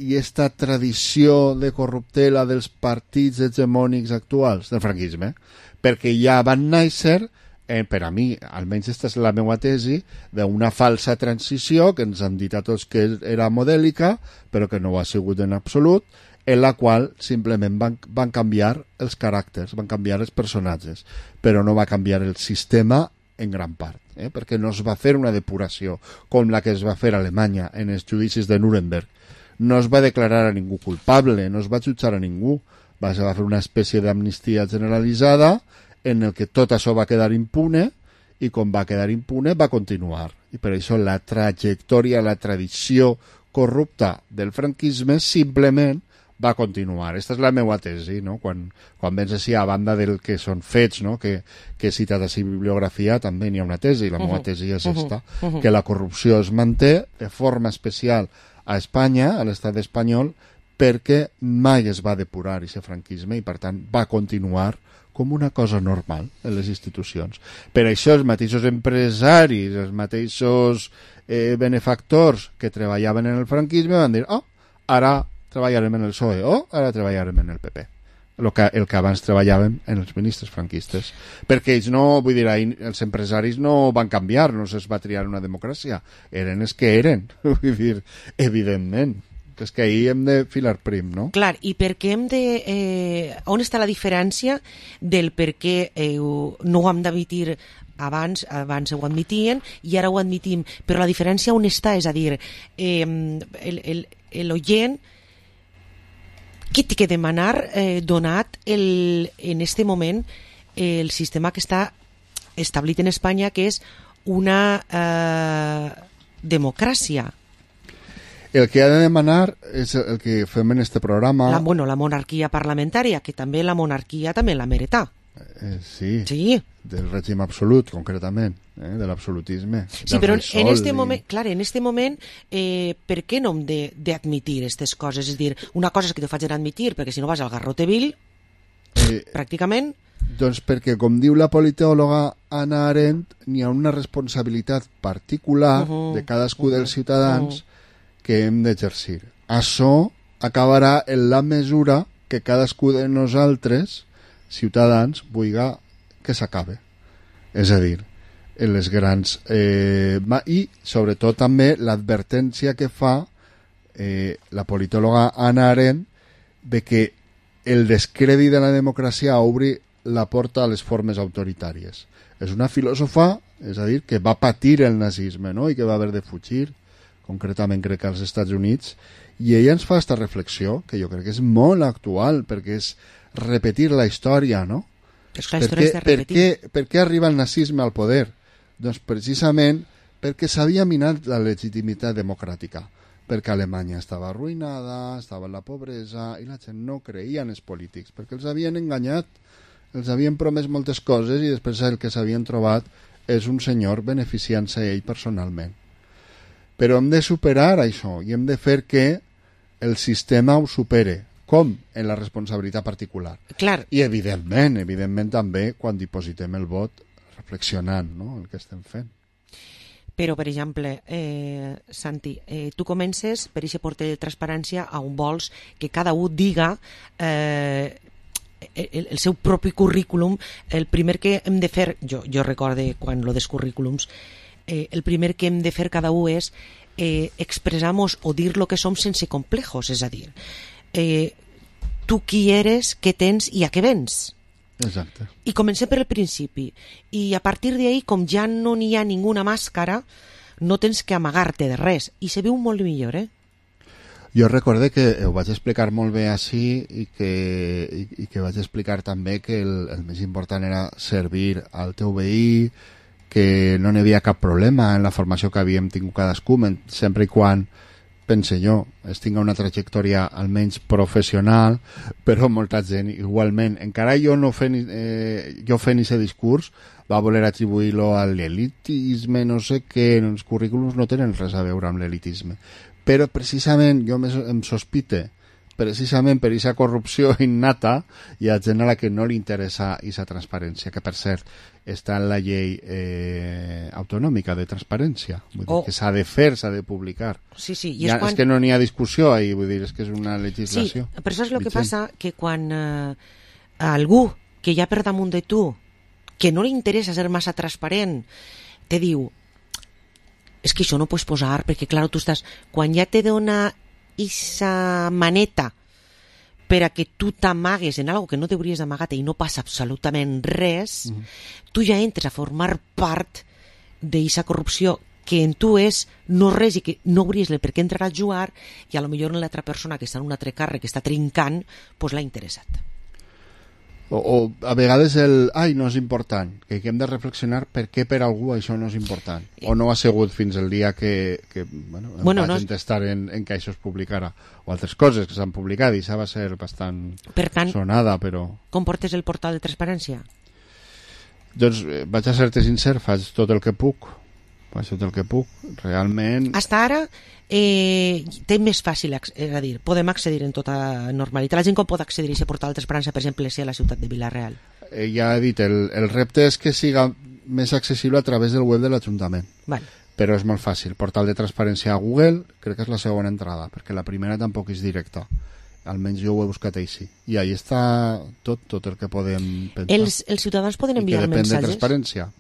i esta tradició de corruptela dels partits hegemònics actuals del franquisme? Perquè ja van néixer, per a mi, almenys aquesta és la meva tesi, d'una falsa transició que ens han dit a tots que era modèlica, però que no ho ha sigut en absolut, en la qual simplement van canviar els caràcters, van canviar els personatges, però no va canviar el sistema en gran part, perquè no es va fer una depuració com la que es va fer a Alemanya en els judicis de Nuremberg. No es va declarar a ningú culpable, no es va jutjar a ningú, va fer una espècie d'amnistia generalitzada en el que tot això va quedar impune i com va quedar impune va continuar. I per això la trajectòria, la tradició corrupta del franquisme simplement va continuar. Aquesta és la meva tesi, no? Quan vens així a banda del que són fets, no? Que he citat així bibliografia, també n'hi ha una tesi, la meva tesi és esta, que la corrupció es manté de forma especial a Espanya, a l'estat espanyol, perquè mai es va depurar aquest franquisme i per tant va continuar com una cosa normal en les institucions. Per això els mateixos empresaris, els mateixos benefactors que treballaven en el franquisme van dir, ara treballarem en el PSOE o ara treballarem en el PP. El que abans treballàvem en els ministres franquistes. Perquè ells no, vull dir, els empresaris no van canviar, no se'ls va triar una democràcia. Eren els que eren. Vull dir, evidentment. És que ahir hem de filar prim, no? Clar, i per què hem de... on està la diferència del per què no ho hem d'admitir abans ho admitien i ara ho admitim, però la diferència on està? És a dir, l'oient què té que demanar donat en este moment el sistema que està establit en Espanya, que és una democràcia? El que ha de demanar és el que fem en este programa. La monarquia parlamentària, que també la monarquia també la merita. Sí, del règim absolut, concretament, de l'absolutisme. Sí, però en este moment, clar, en este moment, per què no hem d'admitir aquestes coses? És a dir, una cosa és que t'ho facin admitir, perquè si no vas al Garroteville, pràcticament... Doncs perquè, com diu la politòloga Hannah Arendt, n'hi ha una responsabilitat particular de cadascú dels ciutadans que hem d'exercir. Això acabarà en la mesura que cadascú de nosaltres, ciutadans, vulgui que s'acabe. És a dir, en les grans... I, sobretot, també l'advertència que fa la politòloga Hannah Arendt de que el descrèdit de la democràcia obri la porta a les formes autoritàries. És una filòsofa, és a dir, que va patir el nazisme, no?, i que va haver de fugir, concretament crec que als Estats Units, i ella ens fa aquesta reflexió, que jo crec que és molt actual, perquè és repetir la història, no? Per què arriba el nazisme al poder? Doncs precisament perquè s'havia minat la legitimitat democràtica, perquè Alemanya estava arruïnada, estava en la pobresa, i la gent no creia en els polítics, perquè els havien enganyat, els havien promès moltes coses i després el que s'havien trobat és un senyor beneficiant-se ell personalment. Però hem de superar això i hem de fer que el sistema ho supere. Com? En la responsabilitat particular. Clar. I evidentment també quan dipositem el vot reflexionant, no?, el que estem fent. Però, per exemple, Santi, tu comences per aquest porter de transparència on vols que cada un diga el seu propi currículum. El primer que hem de fer, jo recorde quan lo dels currículums, el primer que hem de fer cada un és expressar-nos o dir lo que som sense complejos, és a dir, tu qui eres, què tens i a què vens. Exacte. I comencem per el principi. I a partir d'ahí, com ja no n'hi ha ninguna màscara, no tens que amagar-te de res. I se veu molt millor, Jo recorde que ho vaig explicar molt bé així i que vaig explicar també que el més important era servir al teu veí, que no n'hi havia cap problema en la formació que havíem tingut cadascú, sempre i quan, pense jo, es tinga una trajectòria almenys professional, però molta gent igualment, encara jo fent aquest discurs, va voler atribuir-lo a l'elitisme, no sé què, els currículums no tenen res a veure amb l'elitisme. Però precisament jo em sospite, precisament per aquesta corrupció innata, hi ha gent a la que no li interessa aquesta transparència, que per cert està en la llei autonòmica de transparència, vull dir que s'ha de fer, s'ha de publicar. Sí, és que no n'hi ha discussió ahí, vull dir, és que és una legislació. Sí, però això és el que passa, que quan algú que hi ha per damunt de tu, que no li interessa ser massa transparent, te diu, és que això no pots posar, perquè clar, tu estàs, quan ja te dona esa maneta per a que tu t'amagues en algo que no t'hauries d'amagar i no passa absolutament res, tu ja entres a formar part d'eixa corrupció que en tu és no res i que no hauries per què entrar a jugar, i a lo millor l'altra persona que està en un altre càrrec, que està trincant, doncs l'ha interessat. O a vegades no és important, que hem de reflexionar per què per algú això no és important, o no ha sigut fins el dia que em vaig entestar en que això es publicara, o altres coses que s'han publicat, i això va ser bastant sonada, però... Com portes el portal de transparència? Doncs vaig a ser-te sincer, faig tot el que puc, realment... Hasta ara té més fàcil, és a dir, podem accedir en tota normalitat. La gent com pot accedir a aquest portal de transparència, per exemple, si a la ciutat de Vila-real? Ja he dit, el repte és que siga més accessible a través del web de l'Ajuntament. Vale. Però és molt fàcil. Portal de transparència a Google, crec que és la segona entrada, perquè la primera tampoc és directa. Almenys jo ho he buscat així. I ahí està tot el que podem pensar. Els ciutadans poden enviar missatges. I que depèn de transparència.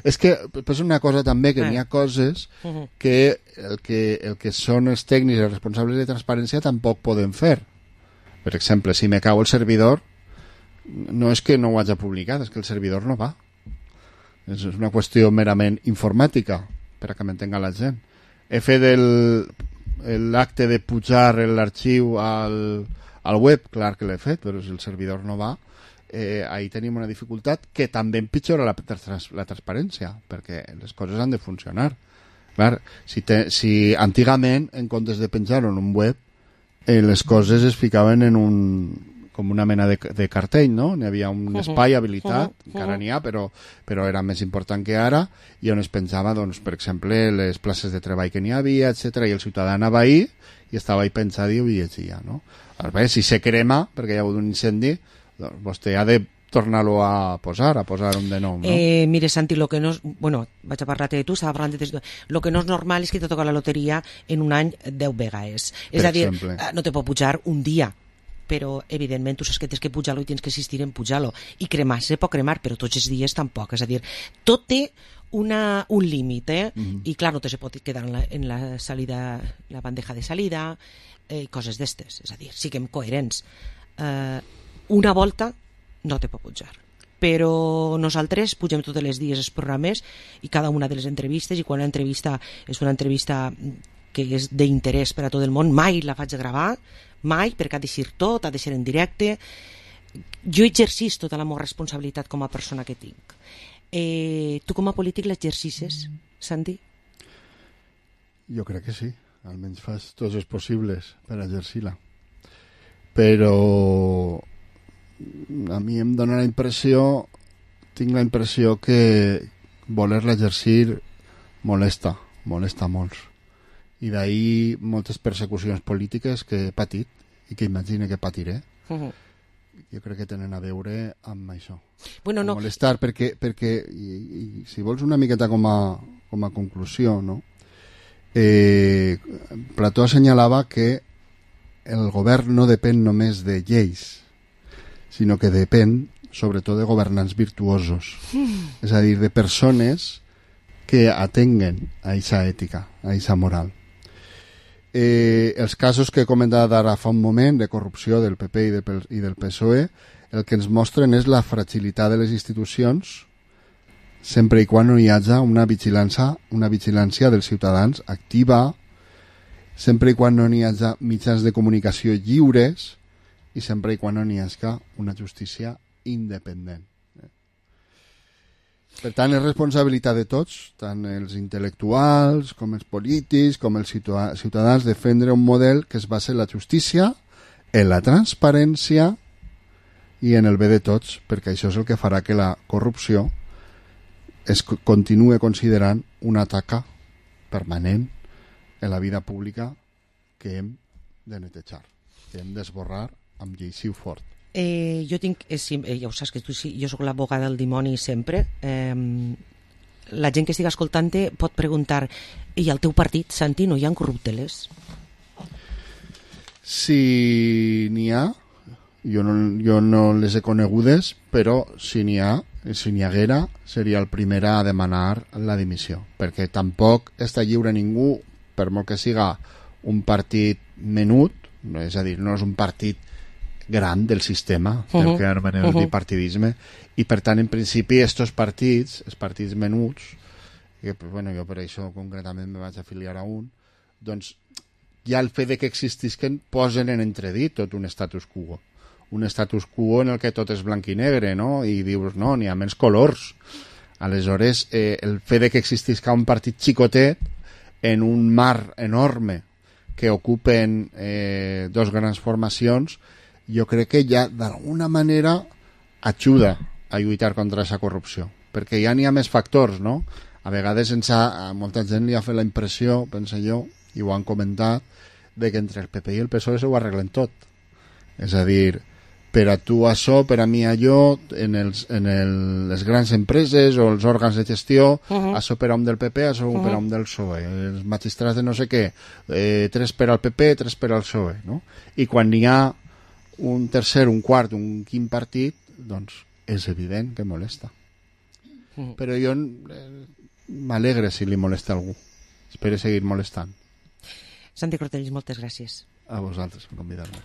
És que és una cosa també, que n'hi ha coses que el que són els tècnics i els responsables de transparència tampoc poden fer. Per exemple, si me cau el servidor, no és que no ho hagi publicat, és que el servidor no va. És una qüestió merament informàtica, per a que m'entenga la gent. He fet l'acte de pujar l'arxiu al Al web, clar que l'he fet, però si el servidor no va, ahí tenim una dificultat que també empitjora la transparència, perquè les coses han de funcionar. Clar, si antigament, en comptes de penjar-ho en un web, les coses es ficaven en com una mena de cartell, no? N'hi havia un espai habilitat, encara n'hi ha, però era més important que ara, i on es penjava, doncs, per exemple, les places de treball que n'hi havia, etc. I el ciutadà anava ahí i estava ahí pensat i ho llegia, no? Bé, si se crema, perquè hi ha hagut un incendi, doncs vostè ha de tornar-lo a posar un de nou, no? Mire, Santi, lo que no és... Bueno, vaig a parlar-te de tu, estava parlant de... Lo que no és normal és que te toca la loteria en un any 10 vegades. És a dir, no te pot pujar un dia, però evidentment tu saps que tens que pujar-lo i tens que insistir en pujar-lo, i cremar se pot cremar, però tots els dies tampoc, és a dir, tot té un límit, i clar, no te se pot quedar en la salida, la bandeja de salida, coses d'estes, és a dir, siguem coherents. Una volta no te pot pujar, però nosaltres pugem tots els dies els programes i cada una de les entrevistes, i quan una entrevista és una entrevista que és d'interès per a tot el món, mai la faig gravar, mai, perquè ha de ser tot, ha de ser en directe. Jo exercís tota la meva responsabilitat com a persona que tinc. Tu com a polític l'exercices, Santi? Jo crec que sí, almenys fas tots els possibles per exercir-la. Però a mi em dona la impressió, tinc la impressió que voler-la exercir molesta molts. I d'ahir moltes persecucions polítiques que he patit i que imagine que patiré. Jo crec que tenen a veure amb això. Bueno, no. Molestar, perquè i si vols una miqueta com a conclusió, no? Plató assenyalava que el govern no depèn només de lleis, sinó que depèn sobretot de governants virtuosos. És a dir, de persones que atenguen a aquesta ètica, a aquesta moral. Els casos que he comentat ara fa un moment de corrupció del PP i del PSOE, el que ens mostren és la fragilitat de les institucions sempre i quan no hi hagi una vigilància dels ciutadans activa, sempre i quan no hi hagi mitjans de comunicació lliures i sempre i quan no hi hagi una justícia independent. Per tant, és responsabilitat de tots, tant els intel·lectuals com els polítics, com els ciutadans, defendre un model que es basa en la justícia, en la transparència i en el bé de tots, perquè això és el que farà que la corrupció es continue considerant una taca permanent en la vida pública que hem de netejar, que hem d'esborrar amb lleixiu fort. Jo tinc, ja ho saps que jo sóc l'abogada del dimoni sempre. La gent que estigui escoltant-te pot preguntar, i al teu partit, Santi, no hi ha corrupteles? Si n'hi ha, jo no les he conegudes, però si n'hi haguera, seria el primer a demanar la dimissió, perquè tampoc està lliure ningú, per molt que siga un partit menut, és a dir, no és un partit gran del sistema, del que anomenem el bipartidisme, i per tant, en principi, els partits menuts, que bueno, jo per això concretament me vaig afiliar a un, doncs ja el fet de que existisquen posen en entredit tot un status quo. Un status quo en el que tot és blanc i negre, no? I dius, no, n'hi ha menys colors. Aleshores, el fet de que existisca un partit xicotet en un mar enorme que ocupen dos grans formacions, jo crec que ja d'alguna manera ajuda a lluitar contra aquesta corrupció, perquè ja n'hi ha més factors, no? A vegades a molta gent li ha fet la impressió, penso jo, i ho han comentat, de que entre el PP i el PSOE s'ho arreglen tot. És a dir, per a tu això, per a mi allò, en les grans empreses o els òrgans de gestió, això per a un del PP, això per a un del PSOE. Els magistrats de no sé què, 3 per al PP, 3 per al PSOE, no? I quan n'hi ha un tercer, un quart, un quint partit, doncs és evident que molesta. Però jo m'alegre si li molesta algú. Espero seguir molestant. Santi Cortells, moltes gràcies. A vosaltres per convidar-me.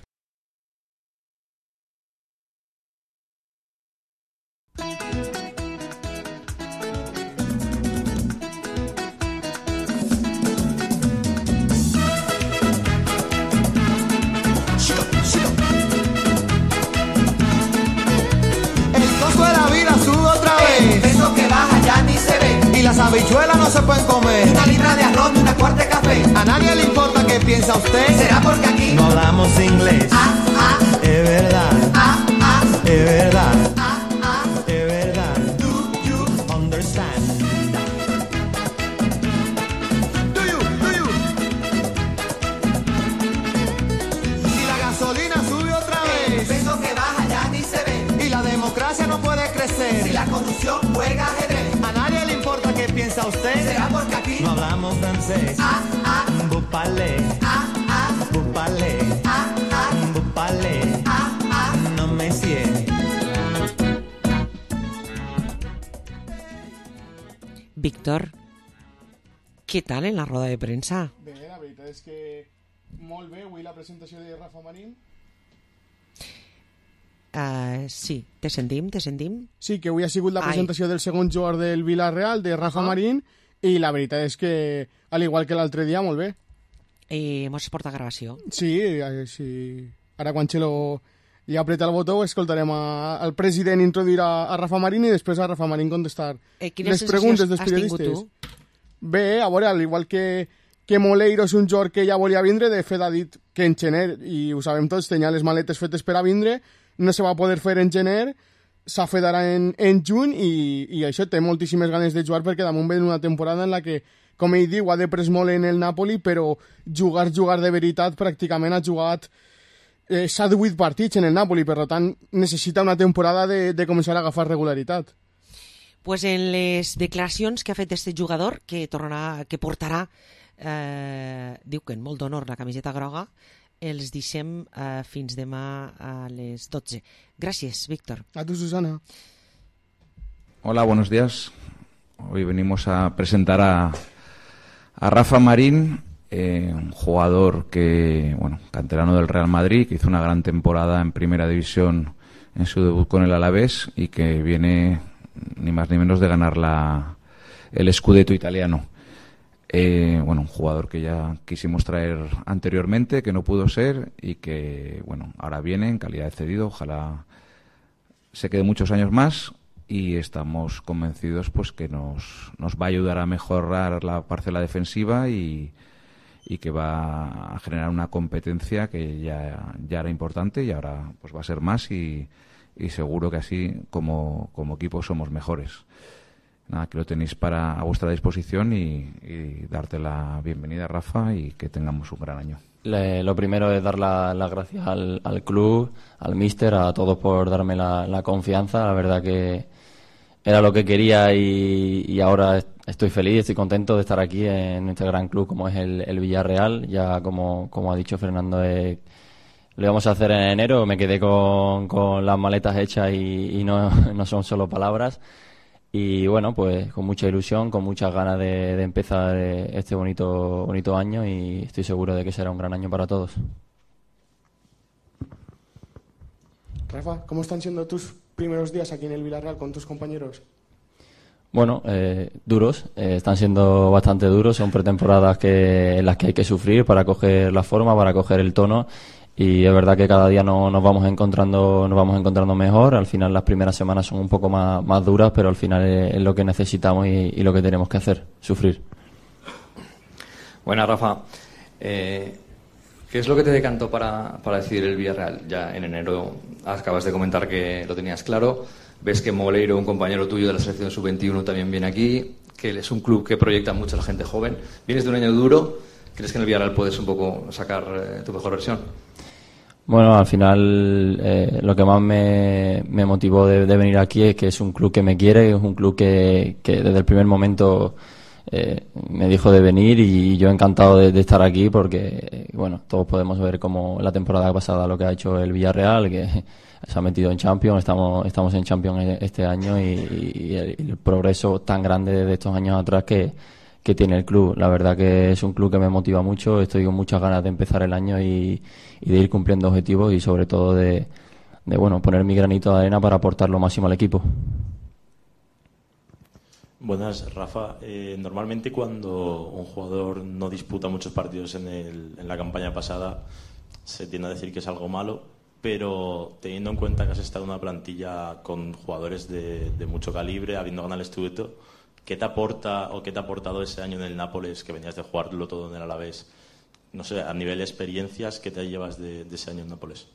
Shigo. las habichuelas no se pueden comer. Una libra de arroz y una cuarta de café. A nadie le importa qué piensa usted. ¿Será porque aquí No hablamos inglés. Es verdad. Es verdad. Es verdad. do you Understand. Do you? Y la gasolina sube otra el vez. peso que baja ya ni se ve? Y la democracia no puede Si crecer. la corrupción juega ajedrez. A nadie le importa qué piensa usted. ¿Será porque aquí No hablamos francés. Vous parlez. Vous parlez. Vous parlez. No me sied. Víctor, què tal en la roda de premsa? Bé, la veritat és que molt bé, avui la presentació de Rafa Marín. Sí, te sentim? Sí, que avui ha sigut la Ai. presentació del segon jugador del Villarreal, de Rafa Marín, i la veritat és que, al igual que l'altre dia, molt bé. Mos porta gravació. Sí, sí. Ara quan Xelo li apreta el botó escoltarem al president introduir a Rafa Marín i després a Rafa Marín contestar Quines les preguntes dels sensacions has tingut periodistes. Bé, a veure, al igual que Moleiro és un jugador que ja volia vindre, de fet ha dit que en gener, i ho sabem tots, tenia les maletes fetes per a vindre, no se va poder fer en gener, s'ha fet ara en juny i això té moltíssimes ganes de jugar perquè damunt ve una temporada en la que, com ell diu, ha de pres molt en el Napoli, però jugar de veritat pràcticament ha jugat 7-8 partits en el Napoli, per tant necessita una temporada de començar a agafar regularitat. Pues en les declaracions que ha fet este jugador, que portarà, diu que en molt d'honor la camiseta groga, els deixem fins demà a les 12. Gràcies, Víctor. A tu, Susana. Hola, buenos días. Hoy venimos a presentar a Rafa Marín, un jugador canterano del Real Madrid, que hizo una gran temporada en Primera División en su debut con el Alavés y que viene ni más ni menos de ganar el Scudetto italiano. Un jugador que ya quisimos traer anteriormente, que no pudo ser y que ahora viene en calidad de cedido. Ojalá se quede muchos años más y estamos convencidos pues que nos va a ayudar a mejorar la parcela defensiva y que va a generar una competencia que ya era importante y ahora pues va a ser más y seguro que así como equipo somos mejores. Nada, que lo tenéis a vuestra disposición y darte la bienvenida, Rafa, y que tengamos un gran año. Lo primero es dar las gracias al club, al míster, a todos por darme la confianza. La verdad que era lo que quería y ahora estoy feliz, estoy contento de estar aquí en este gran club como es el Villarreal. Ya como ha dicho Fernando, lo íbamos a hacer en enero, me quedé con las maletas hechas y no son solo palabras. Y bueno, pues con mucha ilusión, con muchas ganas de empezar este bonito año y estoy seguro de que será un gran año para todos. Rafa, ¿cómo están siendo tus primeros días aquí en el Villarreal con tus compañeros? Bueno, duros, están siendo bastante duros, son pretemporadas en las que hay que sufrir para coger la forma, para coger el tono. Y es verdad que cada día nos vamos encontrando mejor. Al final las primeras semanas son un poco más duras, pero al final es lo que necesitamos y lo que tenemos que hacer, sufrir. Buenas, Rafa. ¿Qué es lo que te decantó para decidir el Villarreal? Ya en enero acabas de comentar que lo tenías claro. Ves que Moleiro, un compañero tuyo de la selección sub-21, también viene aquí, que es un club que proyecta mucho a la gente joven. Vienes de un año duro. ¿Crees que en el Villarreal puedes un poco sacar tu mejor versión? Bueno, al final lo que más me motivó de venir aquí es que es un club que me quiere, es un club que desde el primer momento me dijo de venir y yo encantado de estar aquí porque, todos podemos ver como la temporada pasada lo que ha hecho el Villarreal, que se ha metido en Champions, estamos en Champions este año y el progreso tan grande de estos años atrás que tiene el club. La verdad que es un club que me motiva mucho, estoy con muchas ganas de empezar el año y de ir cumpliendo objetivos y sobre todo de poner mi granito de arena para aportar lo máximo al equipo. Buenas, Rafa. Normalmente cuando un jugador no disputa muchos partidos en la campaña pasada se tiende a decir que es algo malo, pero teniendo en cuenta que has estado en una plantilla con jugadores de mucho calibre, habiendo ganado el Scudetto, ¿Qué te aporta o qué te ha aportado ese año en el Nápoles, que venías de jugarlo todo en el Alavés? No sé, a nivel de experiencias, ¿qué te llevas de ese año en Nápoles?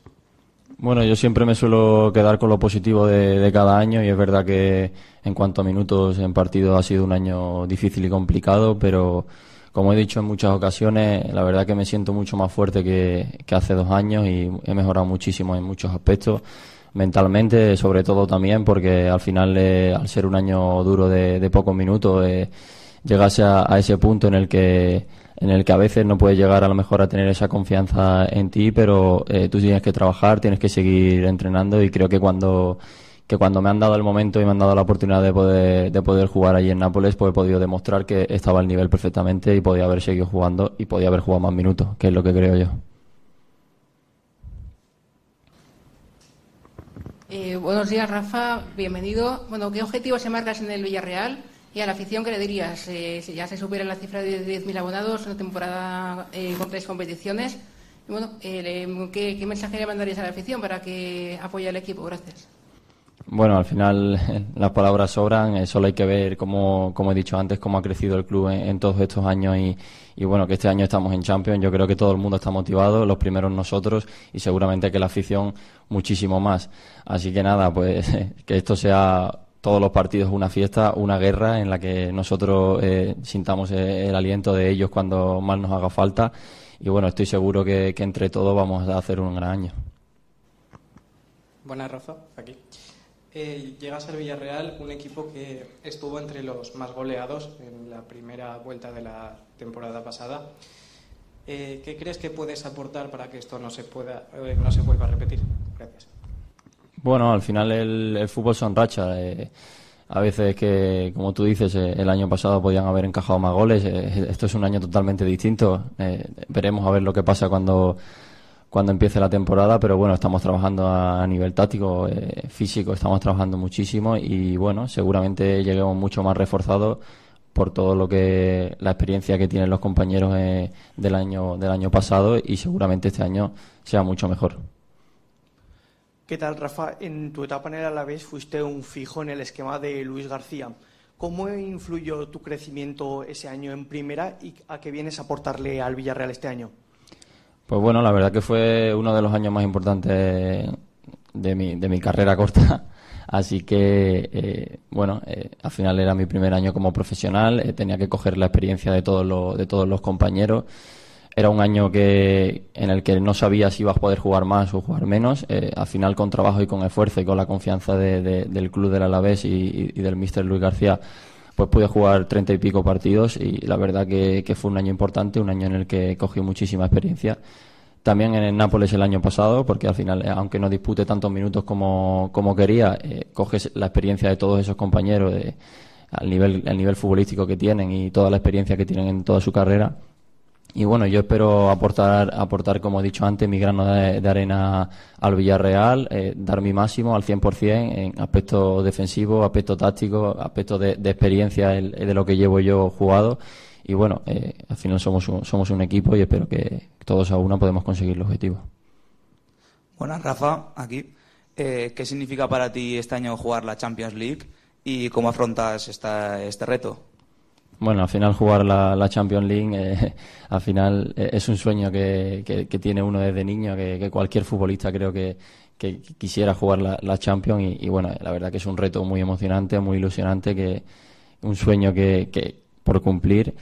Bueno, yo siempre me suelo quedar con lo positivo de cada año, y es verdad que en cuanto a minutos en partido ha sido un año difícil y complicado, pero como he dicho en muchas ocasiones, la verdad que me siento mucho más fuerte que hace 2 años y he mejorado muchísimo en muchos aspectos, mentalmente sobre todo también, porque al final, al ser un año duro de pocos minutos, llegas a ese punto en el que a veces no puedes llegar a lo mejor a tener esa confianza en ti, pero tú tienes que trabajar, tienes que seguir entrenando, y creo que cuando me han dado el momento y me han dado la oportunidad de poder jugar allí en Nápoles, pues he podido demostrar que estaba al nivel perfectamente y podía haber seguido jugando y podía haber jugado más minutos, que es lo que creo yo. Buenos días, Rafa, bienvenido. Bueno, ¿qué objetivos se marcas en el Villarreal? Y a la afición, ¿qué le dirías? Si ya se supera la cifra de 10.000 abonados, una temporada con 3 competiciones. Y bueno, ¿qué mensaje le mandarías a la afición para que apoye al equipo? Gracias. Bueno, al final las palabras sobran, solo hay que ver, como he dicho antes, cómo ha crecido el club en todos estos años, y bueno, que este año estamos en Champions. Yo creo que todo el mundo está motivado, los primeros nosotros, y seguramente que la afición muchísimo más. Así que nada, pues que esto sea todos los partidos una fiesta, una guerra en la que nosotros sintamos el aliento de ellos cuando más nos haga falta, y bueno, estoy seguro que entre todos vamos a hacer un gran año. Buenas, Rafa, aquí. Llegas al Villarreal, un equipo que estuvo entre los más goleados en la primera vuelta de la temporada pasada. ¿Qué crees que puedes aportar para que esto no se vuelva a repetir? Gracias. Bueno, al final el fútbol son rachas. A veces que, como tú dices, el año pasado podían haber encajado más goles. Esto es un año totalmente distinto. Veremos a ver lo que pasa cuando empiece la temporada, pero bueno, estamos trabajando a nivel táctico, físico, estamos trabajando muchísimo, y bueno, seguramente lleguemos mucho más reforzados por todo la experiencia que tienen los compañeros del año pasado, y seguramente este año sea mucho mejor. ¿Qué tal, Rafa? En tu etapa en el Alavés fuiste un fijo en el esquema de Luis García. ¿Cómo influyó tu crecimiento ese año en primera y a qué vienes a aportarle al Villarreal este año? Pues bueno, la verdad que fue uno de los años más importantes de mi carrera corta. Así que, al final era mi primer año como profesional, tenía que coger la experiencia de todos los compañeros. Era un año en el que no sabía si ibas a poder jugar más o jugar menos. Al final, con trabajo y con esfuerzo y con la confianza del club del Alavés y del míster Luis García, pues pude jugar 30 y pico partidos, y la verdad que fue un año importante, un año en el que cogí muchísima experiencia. También en el Nápoles el año pasado, porque al final, aunque no dispute tantos minutos como quería, coges la experiencia de todos esos compañeros, el nivel futbolístico que tienen y toda la experiencia que tienen en toda su carrera. Y bueno, yo espero aportar, como he dicho antes, mi grano de arena al Villarreal, dar mi máximo al 100% en aspectos defensivos, aspectos tácticos, aspectos de experiencia de lo que llevo yo jugado. Y bueno, al final somos un equipo, y espero que todos a una podemos conseguir el objetivo. Buenas, Rafa, aquí. ¿Qué significa para ti este año jugar la Champions League y cómo afrontas este reto? Bueno, al final jugar la Champions League al final es un sueño que tiene uno desde niño, que cualquier futbolista creo que quisiera jugar la Champions, y bueno, la verdad que es un reto muy emocionante, muy ilusionante, un sueño que por cumplir,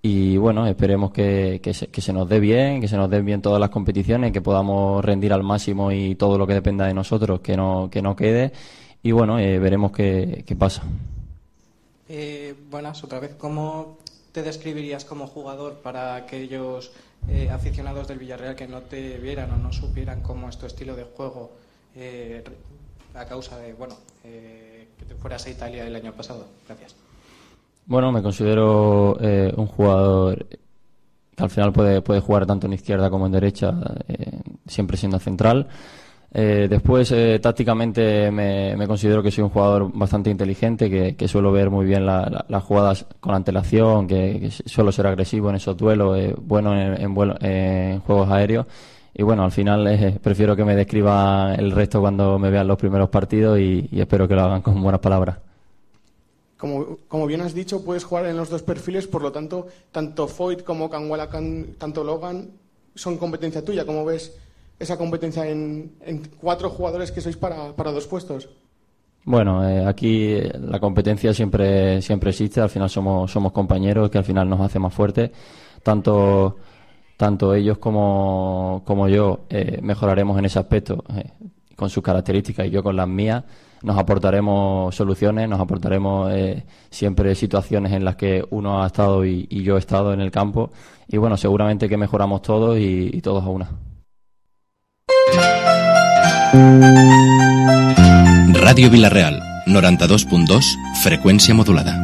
y bueno, esperemos que se nos dé bien, que se nos den bien todas las competiciones, que podamos rendir al máximo, y todo lo que dependa de nosotros que no quede, y bueno, veremos qué pasa. Buenas, otra vez. ¿Cómo te describirías como jugador para aquellos aficionados del Villarreal que no te vieran o no supieran cómo es tu estilo de juego a causa de que te fueras a Italia el año pasado? Gracias. Bueno, me considero un jugador que al final puede jugar tanto en izquierda como en derecha, siempre siendo central. Después, tácticamente me considero que soy un jugador bastante inteligente, que suelo ver muy bien las jugadas con antelación, que suelo ser agresivo en esos duelos, bueno en juegos aéreos. Y bueno, al final prefiero que me describan el resto cuando me vean los primeros partidos, y espero que lo hagan con buenas palabras. Como bien has dicho, puedes jugar en los dos perfiles, por lo tanto, tanto Foyt como Kanwala, tanto Logan, son competencia tuya. ¿Cómo ves esa competencia en 4 jugadores que sois para 2 puestos? Bueno, aquí la competencia siempre existe. Al final somos compañeros, que al final nos hace más fuertes. Tanto ellos como yo mejoraremos en ese aspecto con sus características y yo con las mías. Nos aportaremos soluciones, nos aportaremos siempre situaciones en las que uno ha estado y yo he estado en el campo. Y bueno, seguramente que mejoramos todos y todos a una. Ràdio Vila-real, 92.2, freqüència modulada.